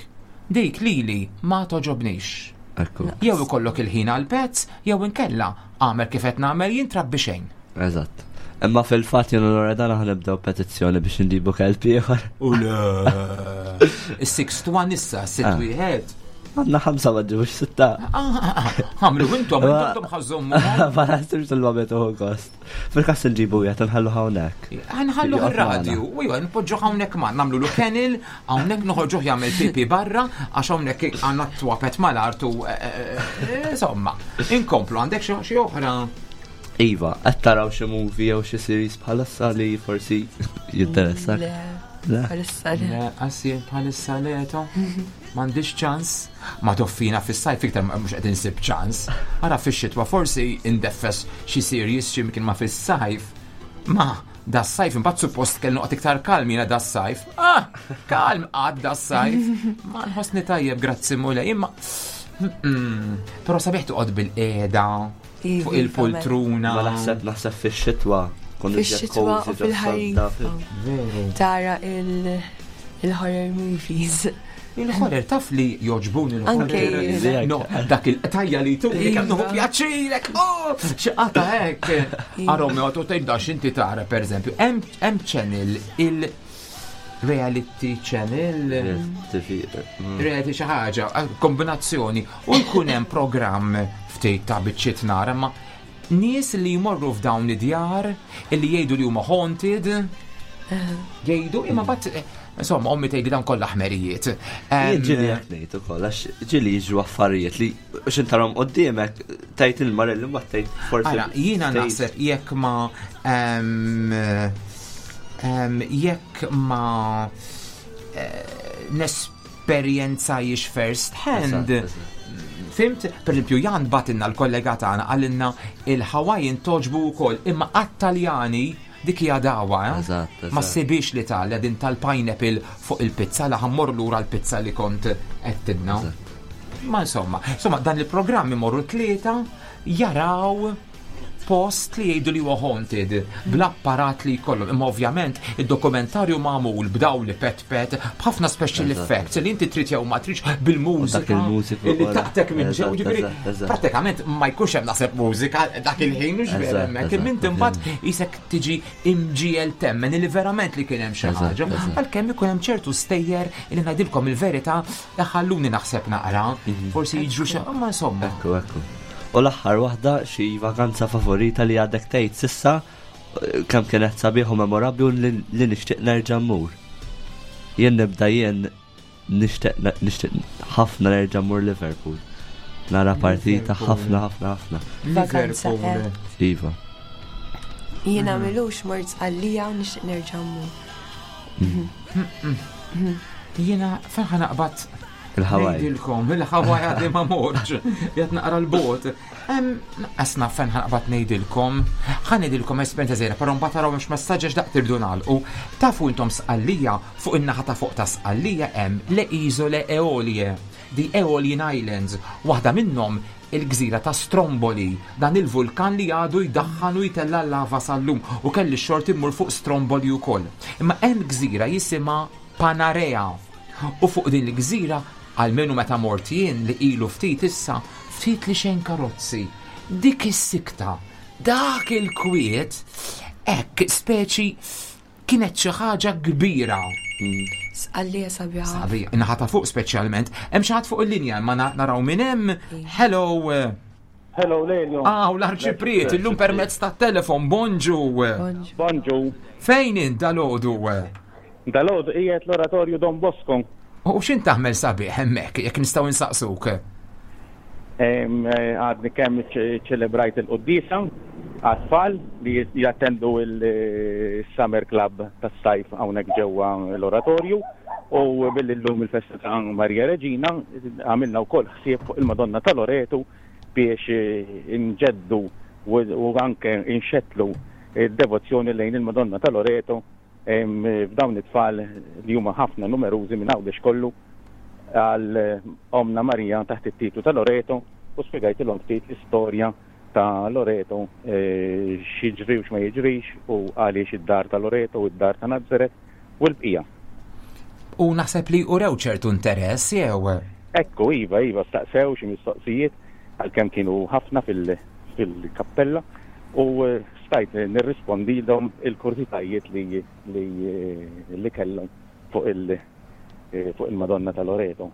Dik lili ma toġobnix. Ekku, Jew ikollok il-ħin għal pets, jew inkella għamel kif qed nagħmel jien trabbi xejn. eżatt. Imma fil-fatt jien u Loredana ħanibdew petizzjoni biex nġibu kelb ieħor. U le. Is-six to one issa, sitt Ah. wieħed. Għandna ħamsa ma ġibux sitta. Ah, Għamlu intom, Ma- intom ħazzommu. Ma naħsibx il-ma uħu gost. Fil-kas nġibu jgħat nħallu hawnhekk. Għanħallu Joqgħod il-radju, magħna. u jgħan npoġġu hawnhekk ma nagħmlu lu kennel, hawnhekk noħorġuh jagħmel pipi barra, għax hawnhekk għandna twapet mal-art u eh, eh, insomma, inkomplu għandek xi xi oħra. Iva, qed taraw xi movie jew xi series bħalissa li forsi jinteressak. Le, Le. bħalissa le. Le, qassi bħalissa leto. M'għandix ċans. Ma toffina fis-sajf iktar mhux qed insib ċans. Ara fix-xitwa forsi indeffes xi series xi mkien ma fis-sajf. Ma da sajf imbagħad suppost kellu noqgħod iktar kalm jiena da sajf. Ah, kalm għad da sajf. Ma nħossni tajjeb grazzi mulej, imma Mm-mm. Però sabiħ toqgħod bil-qiegħda Iva, fuq il-poltruna. Ma naħseb naħseb fix-xitwa. kun iżjed Fix-xitwa u cozy ġo fil-ħarifa. sodda, Veru. Tara il- il-horror movies. Il-horror taf li joġbuni Anke l-horror. jiena. No, dak il-qtajja li tuni kemm nuħu Iva. pjaċirek. Oh, xi qata hekk. Arom joqgħod tgħid dax inti tara pereżempju. Hemm hemm channel il reality channel. TV. Reality xi ħaġa, kombinazzjoni u jkun hemm programm ftit ta' biċċiet nara ma nies li jmorru f'dawn id-djar illi jgħidu li huma haunted jgħidu imma bat Insomma, ommi tgħidli dan kollha ħmerijiet. Jien ġieli hekk ngħid ukoll għax ġieli jiġru affarijiet li x'intarhom quddiemek tgħid il-marelli mbagħad tgħid forsi. Ara, jiena naħseb jekk ma jekk ma eh, nesperjenzajiex first hand. Fimt, per esempio, Jan batinna l-kollega tagħna għalinna il-Hawaiian toġbu wkoll imma għat-Taljani Dik hija dagħwa, eh? Eżatt, eżatt. Ma ssibhiex l-Italja din tal-pineapple fuq il-pizza la ħammur lura l-pizza li kont għedtilna. Ma insomma, insomma dan il-programm imorru tlieta jaraw post li jgħidu li huwa haunted bl-apparat li jkollhom. Imma ovvjament id-dokumentarju magħmul b'dawl li pet pet b'ħafna special effects li inti trid jew ma tridx bil-mużika li taqtek minn ġew ġifieri prattikament ma jkunx hemm naħseb mużika dak il-ħin mhux vera hemmhekk imma inti mbagħad isek tiġi imġiel temmen li verament li kien hemm xi ħaġa. Għalkemm ikun hemm ċertu stejjer li ngħidilkom il-verità ħalluni naħseb naqra, mhm. forsi jiġru xi ma insomma. Ekku, ekku. U l-aħħar waħda xi vakanza favorita li għadek tgħid sissa kemm kienet sabiħ u memorabbli u li nixtieq nerġa' mmur. Jien nibda jien nixtieq nixtieq ħafna nerġa' mmur Liverpool. Nara partita ħafna ħafna ħafna. Vakanza. Eh? Iva. Jiena milux mort għalija u nixtieq nerġa' mmur. Mm. Jiena fejn ħa naqbad Il-Hawaii. Ngħidilkom, il-Hawaii għadni ma morġ, jgħat naqra l-bot. Naqqas naf fejn ħanqbad ngħidilkom. Ħa ngħidilkom esperjenza żgħira, però mbagħad taraw hemmx messaġġ għax daqt irdu nagħlqu. Tafu intom Sqallija, fuq in-naħa ta' fuq ta' Sqallija hemm le Isole Eolie, the Aeolian Islands, waħda minnhom il-gżira ta' Stromboli, dan il-vulkan li għadu jdaħħan u jtella' l-lava sal-lum u kelli x-xorti mmur fuq Stromboli wkoll. Imma hemm gżira jisimha Panarea. U fuq din il-gżira, almenu meta mort jien li ilu ftit issa, ftit li xejn karozzi. Dik is-sikta, dak il-kwiet, hekk speċi kienet xi ħaġa kbira. Sqallija sabiħa. Sabiħa, naħa ta' fuq speċjalment. Hemm xi ħadd fuq il-linja, imma naraw minn hemm. Hello. Hello, Lelio. Ah, u l-arċipriet, illum permezz ta' telefon, bonġu. Bonġu. Fejn int dalodu? Dalodu qiegħed l-Oratorju Don Bosco. U x'int taħmel sabiħ hemmhekk, jekk nistgħu insaqsuk? Eh, għadni kemm ċelebrajt il-quddiesa għat-tfal li jattendu il-Summer Club tas-sajf hawnhekk ġewwa l-Oratorju u billi llum il-festa ta' Marija Reġina għamilna wkoll ħsieb fuq il-Madonna ta' Loretu biex inġeddu u anke inxettlu d-devozzjoni lejn il-Madonna ta' Loreto f'dawn it-tfal li huma ħafna numerużi minn Għawdex kollu għal Ommna Marija taħt it-titlu ta' Loreto u spjegajtilhom ftit l-istorja ta' Loreto x'jiġri u x'ma jiġrix u għaliex id-dar ta' Loreto u d-dar ta' Nazaret u l-bqija. U naħseb li urew ċertu interess jew? Ekku, iva, iva, staqsew xi mistoqsijiet għalkemm kienu ħafna fil-kappella u stajt nirrispondilhom il-kurżitajiet li li kellhom fuq il-Madonna ta' Loreto.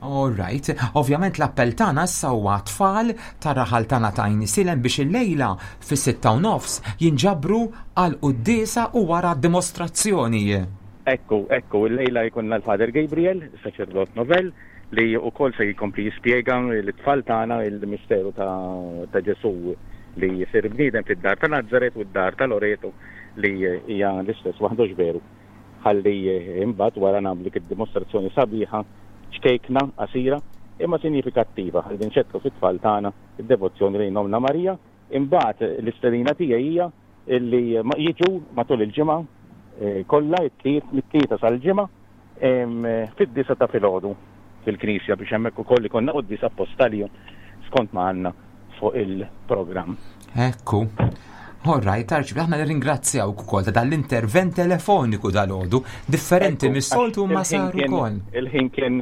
All right. Ovvjament l-appell tagħna issa huwa tfal tar-raħal tagħna ta' Għajnisielem biex illejla fis-6:30 jinġabru għal quddiesa u wara dimostrazzjoni. Ekku, ekku, illejla jkollna l-Father Gabriel, saċerdot novell, li wkoll se jkompli jispjega lit-tfal tagħna l-misteru ta' Ġesù li jsir bniedem fid-dar ta' Nazaret u d-dar ta' Loreto li hija l-istess waħda hux veru. Ħalli imbagħad wara nagħmlu dik id-dimostrazzjoni sabiħa, ċkejkna, qasira, imma sinjifikattiva ħalli nxettlu fit-tfal tagħna d-devozzjoni lejn Ommna Marija. Imbagħad l-istedina tiegħi hija li jiġu matul il-ġimgħa eh, kollha it-tliet mit-tlieta sal-ġimgħa fid-disa ta' filgħodu fil-knisja biex hemmhekk ukoll ikollna quddies apposta għalihom skont ma għandna fuq il-programm. Ekku. All right, Arċi, aħna nirringrazzjawk ukoll ta' dal-intervent telefoniku dal-għodu, differenti mis-soltu ma sar ukoll. Il-ħin kien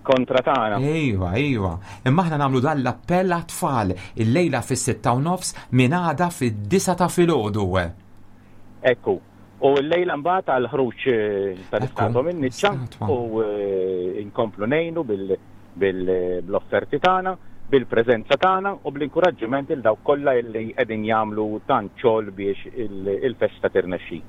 kontra tagħna. Ejwa, ejwa. Imma aħna nagħmlu dan l-appell għat-tfal illejla fis-6:30 minn għada fid-9 ta' filgħodu. Ekku. U llejla mbagħad għal ħruġ eh, tal-istatwa minn niċċa u eh, nkomplu ngħinu bil-offerti tagħna, bil-preżenza tagħna u bl-inkuraġġiment il dawk kollha li qegħdin jagħmlu tant xogħol biex il-festa tirnexxi.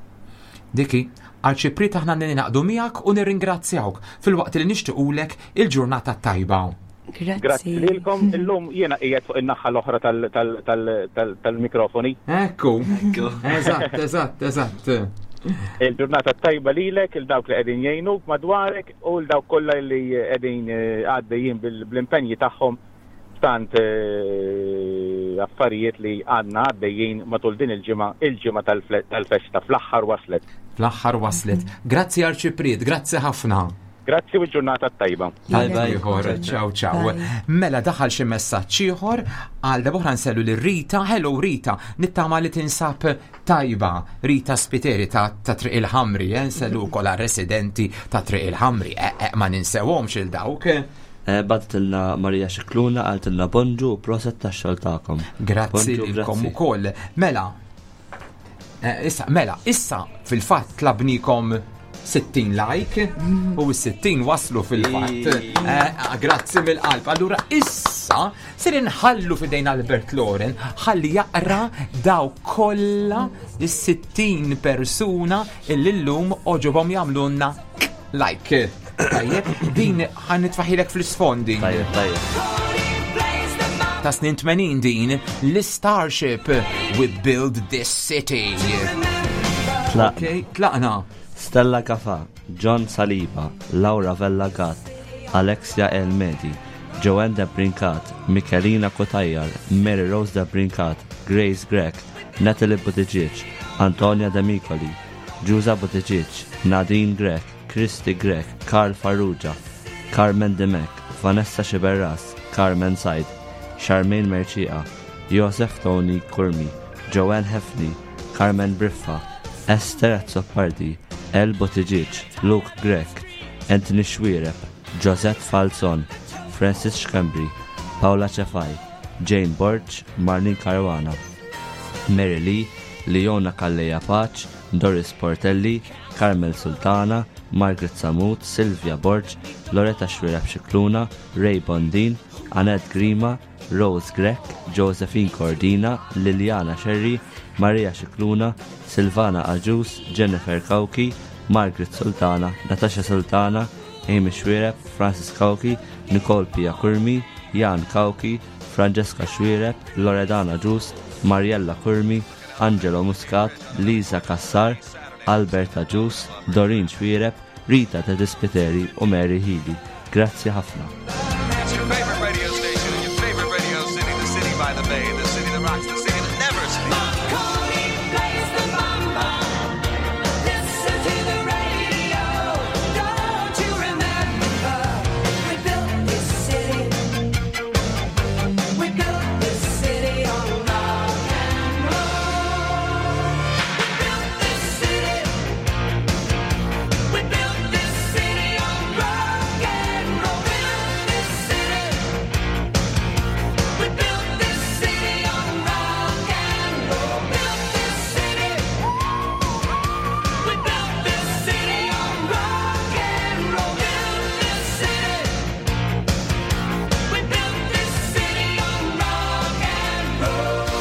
Diki, Arċipriet aħna ninaqdu miegħek u nirringrazzjawk filwaqt li nixtiqulek il-ġurnata tajba. Grazzi lilkom, illum jiena qiegħed fuq in-naħa l-oħra tal-mikrofoni. Ekku. Eżatt, eżatt, eżatt. Il-ġurnata tajba lilek, il dawk li qegħdin jgħinuk madwarek u l dawk kollha li qegħdin eh, għaddejjin bl-impenji tagħhom tant eh, affarijiet li għandna għaddejjin matul din il-ġimgħa, il-ġimgħa tal-festa fl-aħħar waslet. Fl-aħħar waslet. Grazzi Arċipriet, grazzi ħafna. Grazzi u ġurnata tajba. Tajba ieħor, ciao ciao. Mela daħal xi messaġġ ieħor għal darba nsellu lil Rita. Hello Rita, nittama li tinsab tajba. Rita Spiteri ta' ta' Triq il-Ħamri, eh, nsellu wkoll residenti ta' Triq il-Ħamri. Eh, eh, ma ninsewhomx il dawk. Eh, Bagħtitilna Marija Xikluna qaltilna bonġu u proset tax-xogħol tagħkom. Grazzi lilkom ukoll. Mela, eh, issa, mela, issa fil-fatt tlabnikom 60 like u s-60 waslu fil-fatt. Eh, grazzi mill-qalb. Allura issa ser inħallu fidejn Albert Loren ħalli jaqra daw kollha is-60 persuna illi llum oġobhom jagħmlulna like. Tajjeb, din ħan nitfaħilek fl-isfondi. Tajjeb, tajjeb. Ta' snin 80 din, l-Starship, We Build This City. Tlaqna. Ok, tlaqna. Stella Gafa, John Saliba, Laura Vella Gatt, Alexia El Medi, Joanne De Brincat, Michelina Cutajar, Mary Rose De Brincat, Grace Grech, Natalie Buttigieg, Antonia De Micoli, Ġuża Buttigieg, Nadine Grech, Christy Grech, Karl Farrugia, Carmen Dimech, Vanessa Sciberras, Carmen Said, Charmaine Mercieca, Joseph Tony Curmi, Joanne Hefni, Carmen Briffa, Esther Azzopardi, El Buttigieg, Luke Grech, Anthony Xuereb, Josette Falzon, Francis Schembri, Paula Cefai, Jane Borg, Marlene Caruana, Mary Lee, Leona Calleja Pace, Doris Portelli, Carmel Sultana, Margaret Samut, Silvia Borg, Loretta Xuereb Scicluna, Ray Bondin, Annette Grima, Rose Grech, Josephine Cordina, Liliana Sherry, Maria Scicluna, Silvana Agius, Jennifer Cauchi, Margaret Sultana, Natasha Sultana, Amy Xuereb, Francis Cauchi, Nicole Pia Curmi, Jan Cauchi, Francesca Xuereb, Loredana Agius, Mariella Curmi, Angelo Muscat, Lisa Cassar, Albert Agius, Doreen Xuereb, Rita Tedispiteri u Mary Healy. Grazzi ħafna. It's your favorite radio station in your favorite radio city, the city by the bay, the city that rocks, the city that never sleeps. Plays the mamba. Listen to the radio. Don't you remember? We built this city. We built this city on rock and roll. We built this city. We built this city on rock and roll. Built this city. We built this city on rock and roll. Built this city. We built this city on rock and roll. Built this city. We built this city on rock and roll.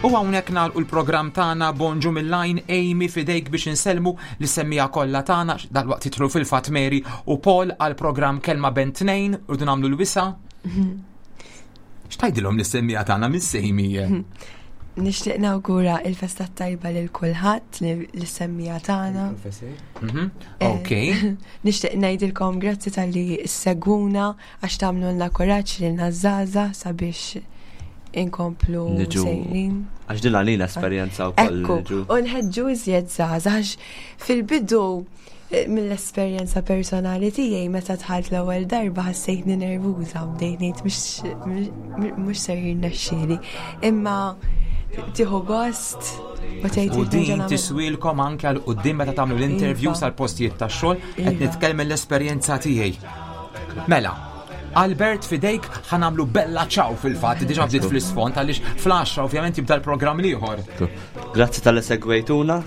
U hawnhekk nagħlqu l-programm tagħna Bonġu mill-Line Amy fidejk biex insellmu li semmija kollha tagħna dalwaqt jidħlu fil-fatt Mary u Paul għal programm Kelma Ben Tnejn rridu nagħmlu l-wisa. X'tajdilhom li semmija tagħna Miss Amy? Nixtieq nawgura il-festa tajba lil kulħadd li semmija tagħna. Ok. Nixtieq ngħidilkom grazzi talli segwuna għax tagħmlulna kuraġġ lilna żgħażagħ sabiex inkomplu Niġu. sejrin. Għax din għalina esperjenza wkoll Ekku, niġu. u nħeġġu iżjed żgħażagħ għax fil-bidu mill-esperjenza personali tiegħi meta dħalt l-ewwel darba ħassejtni nervuża u bdejt ngħid mhux ser jirnexxieli. Imma tieħu gost u tgħid U irrid din nerġa' nagħmel. tiswilkom anke għal quddiem meta tagħmlu l-interviews Iva. għal postijiet tax-xogħol qed Iva. nitkellem mill-esperjenza tiegħi. Mela, Albert fidejk ħa nagħmlu bella ciao fil-fatt, diġà bdiet fl-isfond għaliex fl-10 ovvjament jibda l-programm l-ieħor. Grazzi tal-li segwejtuna,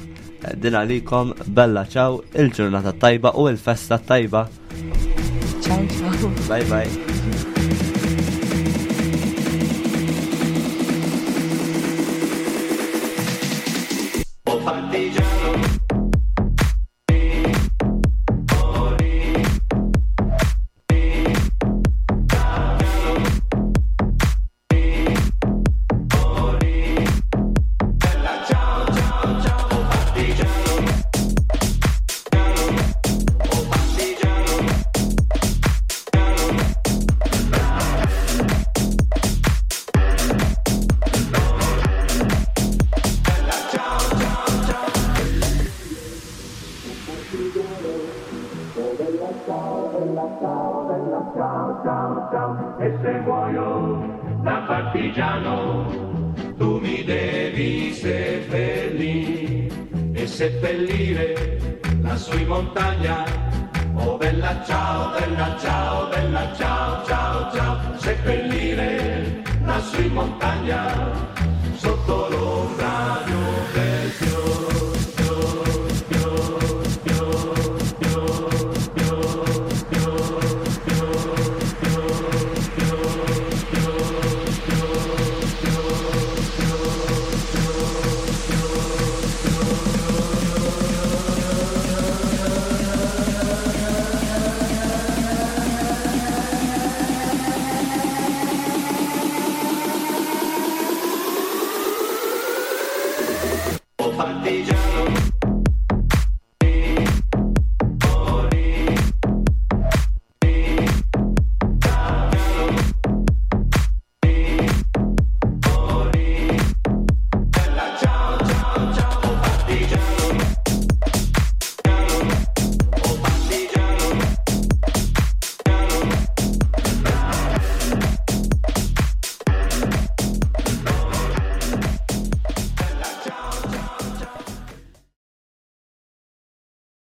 din għalikom bella ciao, il-ġurnata tajba u il-festa tajba. Ciao ciao. Bye bye. E se muoio da partigiano, tu mi devi seppellire e seppellire lassù in montagna. Oh bella ciao, bella ciao, bella ciao, ciao, ciao, seppellire lassù in montagna.